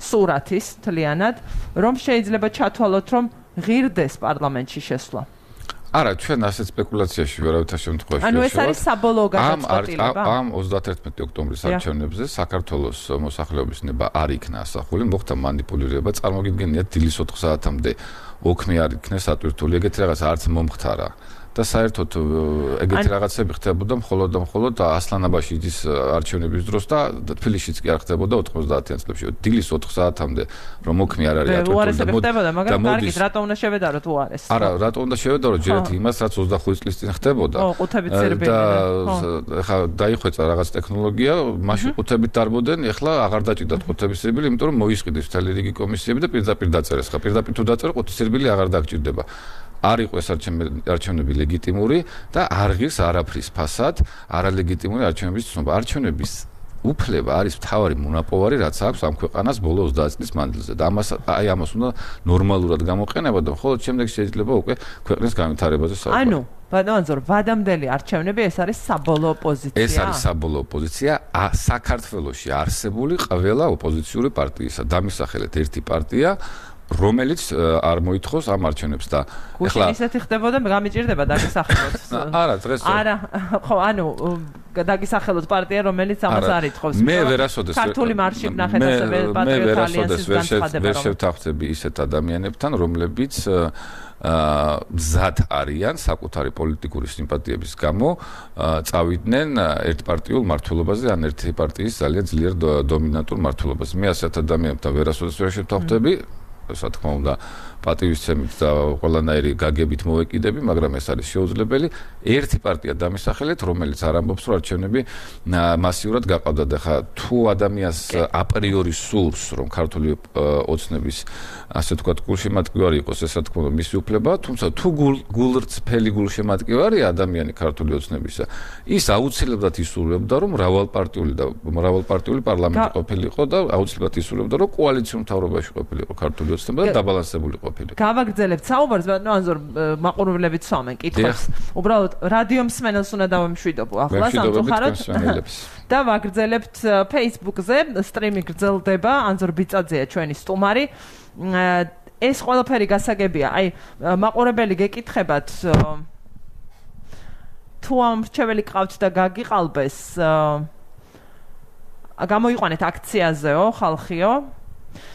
სურათის თლიანად, რომ შეიძლება ჩათვალოთ, რომ ღირდეს პარლამენტში შესვლა. არა, ჩვენ ასეთ სპეკულაციაში ვერავითარ შემთხვევაში ანუ ეს არის საბოლოო გადაწყვეტილება. ამ ოცდაათერთმეტი ოქტომბრის არჩევნებზე საქართველოს მოსახლეობის ნება არ იქნა ასახული, მოხდა манипуლირება, წარმოგიდგენიათ დილის ოთხ საათამდე ოქმი არ იქნა სატვირთული, ეგეთი რაღაც არც მომხდარა. და საერთოდ ეგეთი რაღაცები ხდებოდა მხოლოდ და მხოლოდ ასლანაბაშიძის არჩევნების დროს და თბილისშიც კი არ ხდებოდა ოთხმოცდაათიან წლებში. დილის ოთხ საათამდე რომ ოქმი არ არის ატვირთული და ხდებოდა, მაგრამ კარგით, რატომ უნდა შევედაროთ უარეს? არა, რატომ უნდა შევედაროთ ჯერეთ იმას, რაც ოცდახუთი წლის წინ ხდებოდა. ო, ყუთებით ცირბილი. და ხა დაიხვეწა რაღაც ტექნოლოგია, მაშინ ყუთებით დარბოდნენ, ეხლა აღარ დაჭიდათ ყუთების ცირბილი, იმიტომ რომ მოისყიდეს მთელი რიგი კომისიები და პირდაპირ დაწერეს. ხა პირდაპირ თუ დაწერო, ყუთის ცირბილი აღარ დაგჭირდება. არ იყო ეს არჩევნები ლეგიტიმური და არ ღირს არაფრის ფასად არალეგიტიმური არჩევნების ცნობა. არჩევნების უფლება არის მთავარი მონაპოვარი, რაც აქვს ამ ქვეყანას ბოლო ოცდაათი წლის მანძილზე და ამას აი ამას უნდა ნორმალურად გამოყენება და მხოლოდ შემდეგ შეიძლება უკვე ქვეყნის განვითარებაზე საუბარი. ანუ ბატონო ანზორ, ვადამდელი არჩევნები ეს არის საბოლოო პოზიცია. ეს არის საბოლოო პოზიცია საქართველოში არსებული ყველა ოპოზიციური პარტიისა. დამისახელეთ ერთი პარტია რომელიც არ მოითხოვს ამ არჩევნებს და ეხლა ისეთი ხდებოდა, გამიჭირდება დაგისახელოთ. არა, დღეს არა, ხო, ანუ დაგისახელოთ პარტია, რომელიც ამას არ ითხოვს. მე ვერასოდეს ქართული მარში ვნახეთ ასევე პატრიოტ ალიანსის განცხადება. ვერ შევთანხმდები ისეთ ადამიანებთან, რომლებიც მზად არიან საკუთარი პოლიტიკური სიმპათიების გამო წავიდნენ ერთპარტიულ მმართველობაზე ან ერთი პარტიის ძალიან ძლიერ დომინანტურ მმართველობაზე. მე ასეთ ადამიანებთან ვერასოდეს ვერ შევთანხმდები. რა თქმა უნდა პატივისცემით და ყველანაირი გაგებით მოვეკიდები, მაგრამ ეს არის შეუძლებელი. ერთი პარტია დამისახელეთ, რომელიც არ ამბობს, რომ არჩევნები მასიურად გაყავდა და ხა თუ ადამიანს აპრიორი სურს, რომ ქართული ოცნების ასე თქვა გულშემატკივარი იყოს, ეს რა თქმა უნდა მისი უფლებაა, თუმცა თუ გულწრფელი გულშემატკივარია ადამიანი ქართული ოცნებისა, ის აუცილებლად ისურვებდა, რომ მრავალპარტიული და მრავალპარტიული პარლამენტი ყოფილიყო და აუცილებლად ისურვებდა, რომ კოალიციურ მთავრობაში ყოფილიყო ქართული ოცნება და დაბალანსებული ყოფილიყო. გავაგრძელებთ საუბარს, ბატონო ანზორ, მაყურებლებით სვამენ კითხვებს. უბრალოდ რადიო მსმენელს უნდა დავემშვიდობო ახლა სამწუხაროდ და ვაგრძელებთ Facebook-ზე, სტრიმი გრძელდება, ანზორ ბიწაძეა ჩვენი სტუმარი. ეს ყველაფერი გასაგებია. აი, მაყურებელი გეკითხებათ თუ ამ რჩეველი ყავთ და გაგიყალბეს, გამოიყვანეთ აქციაზეო, ხალხიო.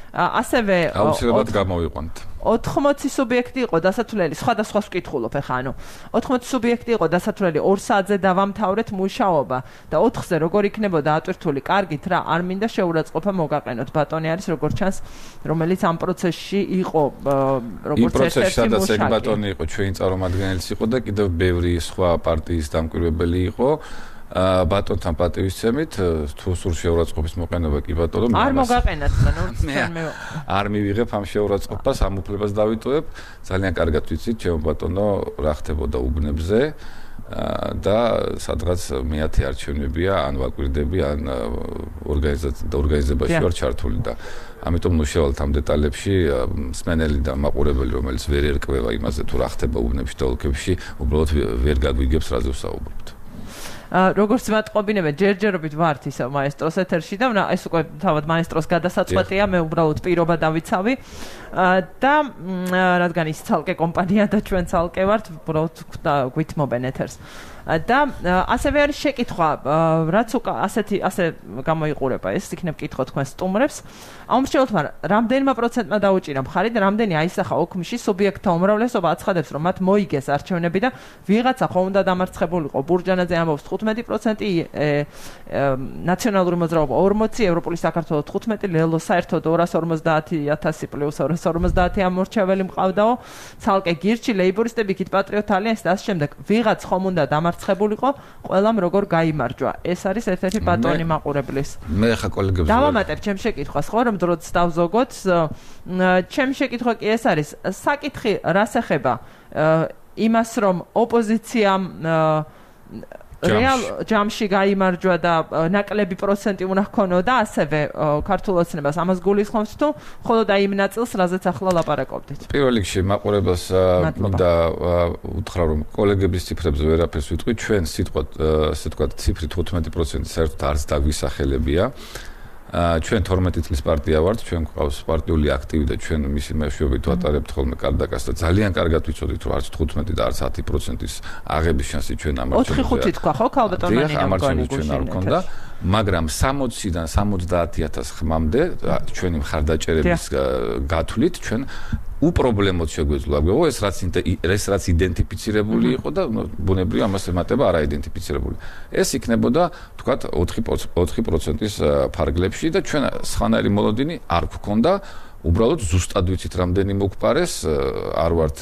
ასევე აუცილებლად გამოვიყვანთ. ოთხმოცი სუბიექტი იყო დასათვლელი, სხვადასხვა ვკითხულობ ახლა, ანუ ოთხმოცი სუბიექტი იყო დასათვლელი ორ საათზე დავამთავრეთ მუშაობა და ოთხზე როგორ იქნებოდა ატვირთული, კარგით რა, არ მინდა შეურაცხყოფა მოგაყენოთ. ბატონი არის როგორც ჩანს, რომელიც ამ პროცესში იყო, როგორც ერთ-ერთი მუშაკი. სადაც ეგ ბატონი იყო, ჩვენი წარმომადგენელიც იყო და კიდევ ბევრი სხვა პარტიის დამკვირვებელი იყო. ბატონთან პატივისცემით, თუ სულ შეურაცხყოფის მოყენება კი ბატონო, არ მოგაყენათ, ნუ ჩვენ მე არ მივიღებ ამ შეურაცხყოფას, ამ უფლებას დავიტოვებ. ძალიან კარგად ვიცით, ჩემო ბატონო, რა ხდებოდა უბნებზე და სადღაც მეათე არჩევნებია, ან ვაკვირდები, ან ორგანიზებაში ვარ ჩართული და ამიტომ ნუ შევალთ ამ დეტალებში, მსმენელი და მაყურებელი, რომელიც ვერ ერკვევა იმაზე, თუ რა ხდება უბნებში და ოლქებში, უბრალოდ ვერ გაგვიგებს რაზე ვსაუბრობთ. როგორც მატყობინებენ, ჯერჯერობით ვართ ისე მაესტროს ეთერში და ეს უკვე თავად მაესტროს გადასაწყვეტია, მე უბრალოდ პირობა დავიცავი და რადგან ის ცალკე კომპანია და ჩვენ ცალკე ვართ, უბრალოდ გვითმობენ ეთერს. და ასევე არის შეკითხვა, რაც უკვე ასეთი ასე გამოიყურება, ეს იქნებ კითხვა თქვენ სტუმრებს. აუმრჩევლთმა რამდენმა პროცენტმა დაუჭირა მხარი და რამდენი აისახა ოქმში სუბიექტთა უმრავლესობა აცხადებს, რომ მათ მოიგეს არჩევნები და ვიღაცა ხომ უნდა დამარცხებულიყო. ბურჯანაძე ამბობს თხუთმეტი პროცენტი, ნაციონალური მოძრაობა ორმოცი, ევროპული საქართველო თხუთმეტი, ლელო საერთოდ ორას ორმოცდაათი ათასი პლუს ორას ორმოცდაათი ამორჩეველი მყავდაო, ცალკე გირჩი, ლეიბორისტები, იქით პატრიოტ ალიანსი და ასე შემდეგ. ვიღაც ხომ უნდა დამარცხებულიყო, ყველამ როგორ გაიმარჯვა. ეს არის ერთ-ერთი ბატონი მაყურებლის. მე ხა კოლეგებს დავამატებ ჩემ შეკითხვას, ხო, რომ დროც დავზოგოთ. ჩემ შეკითხვა კი ეს არის, საკითხი რას ეხება იმას, რომ ოპოზიციამ რეალ ჯამში გაიმარჯვა და ნაკლები პროცენტი უნდა ჰქონოდა და ასევე ქართულ ოცნებას ამას გულისხმობს თუ მხოლოდ აი იმ ნაწილს, რაზეც ახლა ლაპარაკობდით. პირველ რიგში მაყურებელს მინდა უთხრა, რომ კოლეგების ციფრებზე ვერაფერს ვიტყვი, ჩვენ სიტყვა ასე ვთქვათ, ციფრი თხუთმეტი პროცენტი საერთოდ არც დაგვისახელებია. ჩვენ თორმეტი წლის პარტია ვართ, ჩვენ გვყავს პარტიული აქტივი და ჩვენ მისი მეშვეობით ვატარებთ ხოლმე კარდაკას და ძალიან კარგად ვიცოდით, რომ არც თხუთმეტი და არც ათი პროცენტის აღების შანსი ჩვენ ამარჩევნებს. ოთხი ხუთი თქვა ხო, ქალბატონიანი ამარჩევნებს ჩვენ არ გქონდა, მაგრამ სამოციდან სამოცდაათი ათას ხმამდე ჩვენი მხარდაჭერების გათვლით ჩვენ უპრობლემოდ შეგვეძლო აგვეღო ეს რაც ეს რაც იდენტიფიცირებული იყო და ბუნებრივია ამას ემატება არაიდენტიფიცირებული. ეს იქნებოდა თქვათ ოთხი პროცენტის ფარგლებში და ჩვენ სხვანაირი მოლოდინი არ გვქონდა. უბრალოდ ზუსტად ვიცით რამდენი მოგპარეს, არ ვართ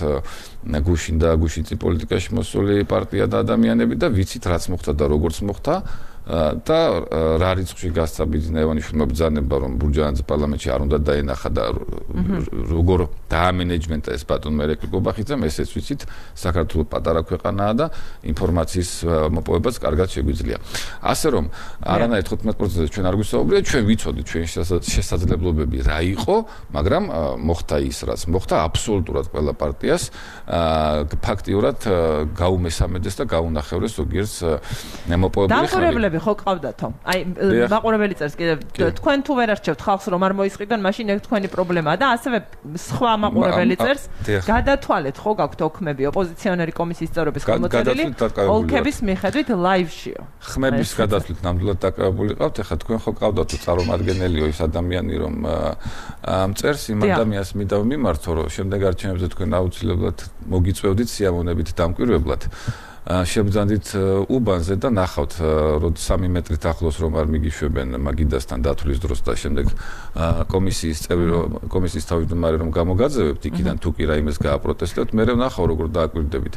გუშინ და გუშინწი პოლიტიკაში მოსული პარტია და ადამიანები და ვიცით რაც მოხდა და როგორც მოხდა. და რა რიცხვში გასცა ბიძინა ივანიშვილმა ბრძანება, რომ ბურჯანაძე პარლამენტში არ უნდა დაენახა და როგორ დაამენეჯმენტა ეს ბატონ მერეკლი გობახიძემ, ესეც ვიცით, საქართველოს პატარა ქვეყანაა და ინფორმაციის მოპოვებაც კარგად შეგვიძლია. ასე რომ არანაირ თხუთმეტ პროცენტზე ჩვენ არ გვისაუბრია, ჩვენ ვიცოდით ჩვენი შესაძლებლობები რა იყო, მაგრამ მოხდა ის, რაც მოხდა აბსოლუტურად ყველა პარტიას ფაქტიურად გაუმესამედეს და გაუნახევრეს ზოგიერთს მოპოვებული ხმები. ხო ყავდათო. აი მაყურებელი წერს კიდევ თქვენ თუ ვერ არჩევთ ხალხს რომ არ მოისყიდონ, მაშინ ეგ თქვენი პრობლემაა და ასევე სხვა მაყურებელი წერს გადათვალეთ ხო გაქვთ ოქმები ოპოზიციონერი კომისიის წევრების ხელმოწერილი ოლქების მიხედვით ლაივშიო. ხმების გადათვლით ნამდვილად დაკავებული ყავთ. ეხლა თქვენ ხო ყავდათო წარმომადგენლიო ის ადამიანი რომ წერს იმ ადამიანს მინდა მიმართო რომ შემდეგ არჩევნებზე თქვენ აუცილებლად მოგიწევდით სიამოვნებით დამკვირვებლად. შევძანდით უბანზე და ნახავთ რომ სამი მეტრით ახლოს რომ არ მიგიშვებენ მაგიდასთან დათვლის დროს და შემდეგ კომისიის წევრი კომისიის თავმჯდომარე რომ გამოგაძევებთ იქიდან თუ კი რაიმეს გააპროტესტებთ, მე ვნახავ როგორ დააკვირდებით.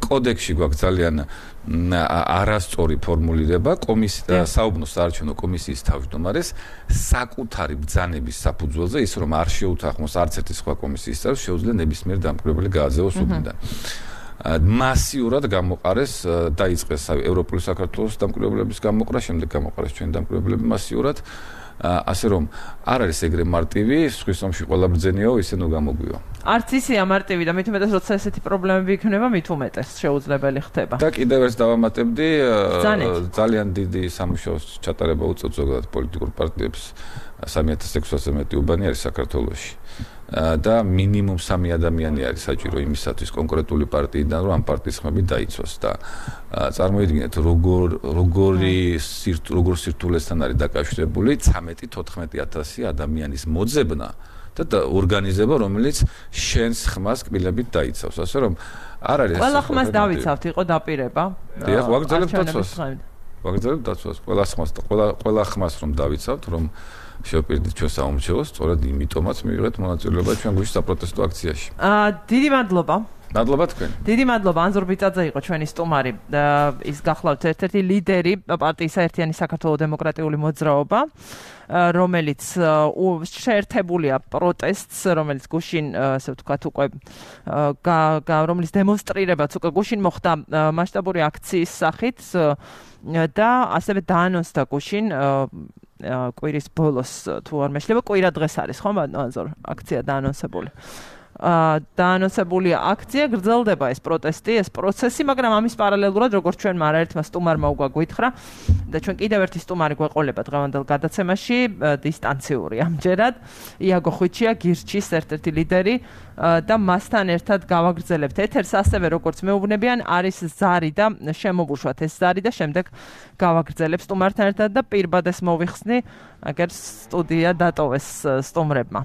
კოდექსში გვაქვს ძალიან არასწორი ფორმულირება კომისია საუბნოს საარჩევნო კომისიის თავმჯდომარეს საკუთარი ბრძანების საფუძველზე ის რომ არ შეუთანხმოს არც ერთი სხვა კომისიის წევრს შეუძლია ნებისმიერ დამკვირვებელი გააძევოს უბნიდან. მასიურად გამოყარეს დაიწყეს ევროპული საქართველოს დამკვირვებლების გამოყრა, შემდეგ გამოყარეს ჩვენი დამკვირვებლები მასიურად. ასე რომ არ არის ეგრე მარტივი, სხვის ომში ყველა ბრძენიაო, ისე ნუ გამოგვივა. არც ისეა მარტივი და მით უმეტეს როცა ესეთი პრობლემები იქნება, მით უმეტეს შეუძლებელი ხდება. და კიდევ ერთ დავამატებდი, ძალიან დიდი სამუშაოს ჩატარება უწევთ ზოგადად პოლიტიკურ პარტიებს. სამი ათას ექვსასი მეტი უბანი არის საქართველოში. და მინიმუმ სამი ადამიანი არის საჭირო იმისათვის კონკრეტული პარტიიდან რომ ამ პარტიის ხმები დაიცვას და წარმოიდგინეთ როგორ როგორი როგორ სირთულესთან არის დაკავშირებული ცამეტი თოთხმეტი ათასი ადამიანის მოძებნა და ორგანიზება რომელიც შენს ხმას კბილებით დაიცავს. ასე რომ არ არის ყველა ხმას დავიცავთ, იყო დაპირება. დიახ, ვაგრძელებთ დაცვას. ვაგრძელებთ დაცვას. ყველა ხმას ყველა ყველა ხმას რომ დავიცავთ, რომ შევპირდით ჩვენ საომრჩევლოს, სწორედ იმიტომაც მივიღეთ მონაწილეობა ჩვენ გუშინ საპროტესტო აქციაში. აა დიდი მადლობა. მადლობა თქვენ. დიდი მადლობა. ანზორ ბიწაძე იყო ჩვენი სტუმარი. ის გახლავთ ერთ-ერთი ლიდერი პარტიის საერთიანი საქართველოს დემოკრატიული მოძრაობა, რომელიც შეერთებულია პროტესტს, რომელიც გუშინ, ასე ვთქვათ, უკვე რომლის დემონსტრირებაც უკვე გუშინ მოხდა მასშტაბური აქციის სახით და ასევე დაანონსდა გუშინ კვირის ბოლოს თუ არ მეშლება, კვირა დღეს არის, ხო, ანზორ აქცია დაანონსებული. დაანონსებულია აქცია, გრძელდება ეს პროტესტი, ეს პროცესი, მაგრამ ამის პარალელურად, როგორც ჩვენმა არაერთმა სტუმარმა უკვე გვითხრა და ჩვენ კიდევ ერთი სტუმარი გვეყოლება დღევანდელ გადაცემაში, დისტანციური ამჯერად, იაგო ხვიჩია, გირჩის ერთ-ერთი ლიდერი და მასთან ერთად გავაგრძელებთ ეთერს, ასევე როგორც მეუბნებიან, არის ზარი და შემოვუშვათ ეს ზარი და შემდეგ გავაგრძელებ სტუმართან ერთად და პირბადეს მოვიხსნი, აგერ სტუდია დატოვეს სტუმრებმა.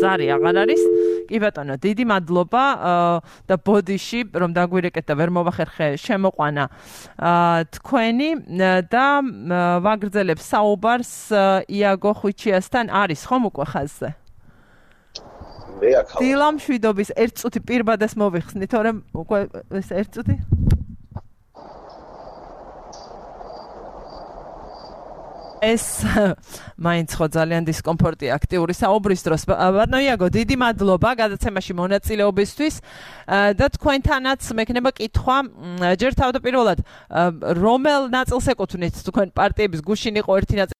ზარი აღარ არის. კი ბატონო, დიდი მადლობა და ბოდიში რომ დაგვირეკეთ და ვერ მოვახერხე შემოყვანა თქვენი და ვაგრძელებ საუბარს იაგო ხვიჩიასთან. არის ხომ უკვე ხაზზე? მე აქ ვარ. დილა მშვიდობის ერთ წუთი პირბადეს მოვიხსნი, თორემ უკვე ეს ერთ წუთი ეს მაინც ხო ძალიან დისკომფორტია აქტიური საუბრის დროს. ბატონო იაგო, დიდი მადლობა გადაცემაში მონაწილეობისთვის და თქვენთანაც მექნება კითხვა, ჯერ თავდაპირველად რომელ ნაწილს ეკუთვნით თქვენ პარტიების გუშინ იყო ერთი ნაწილი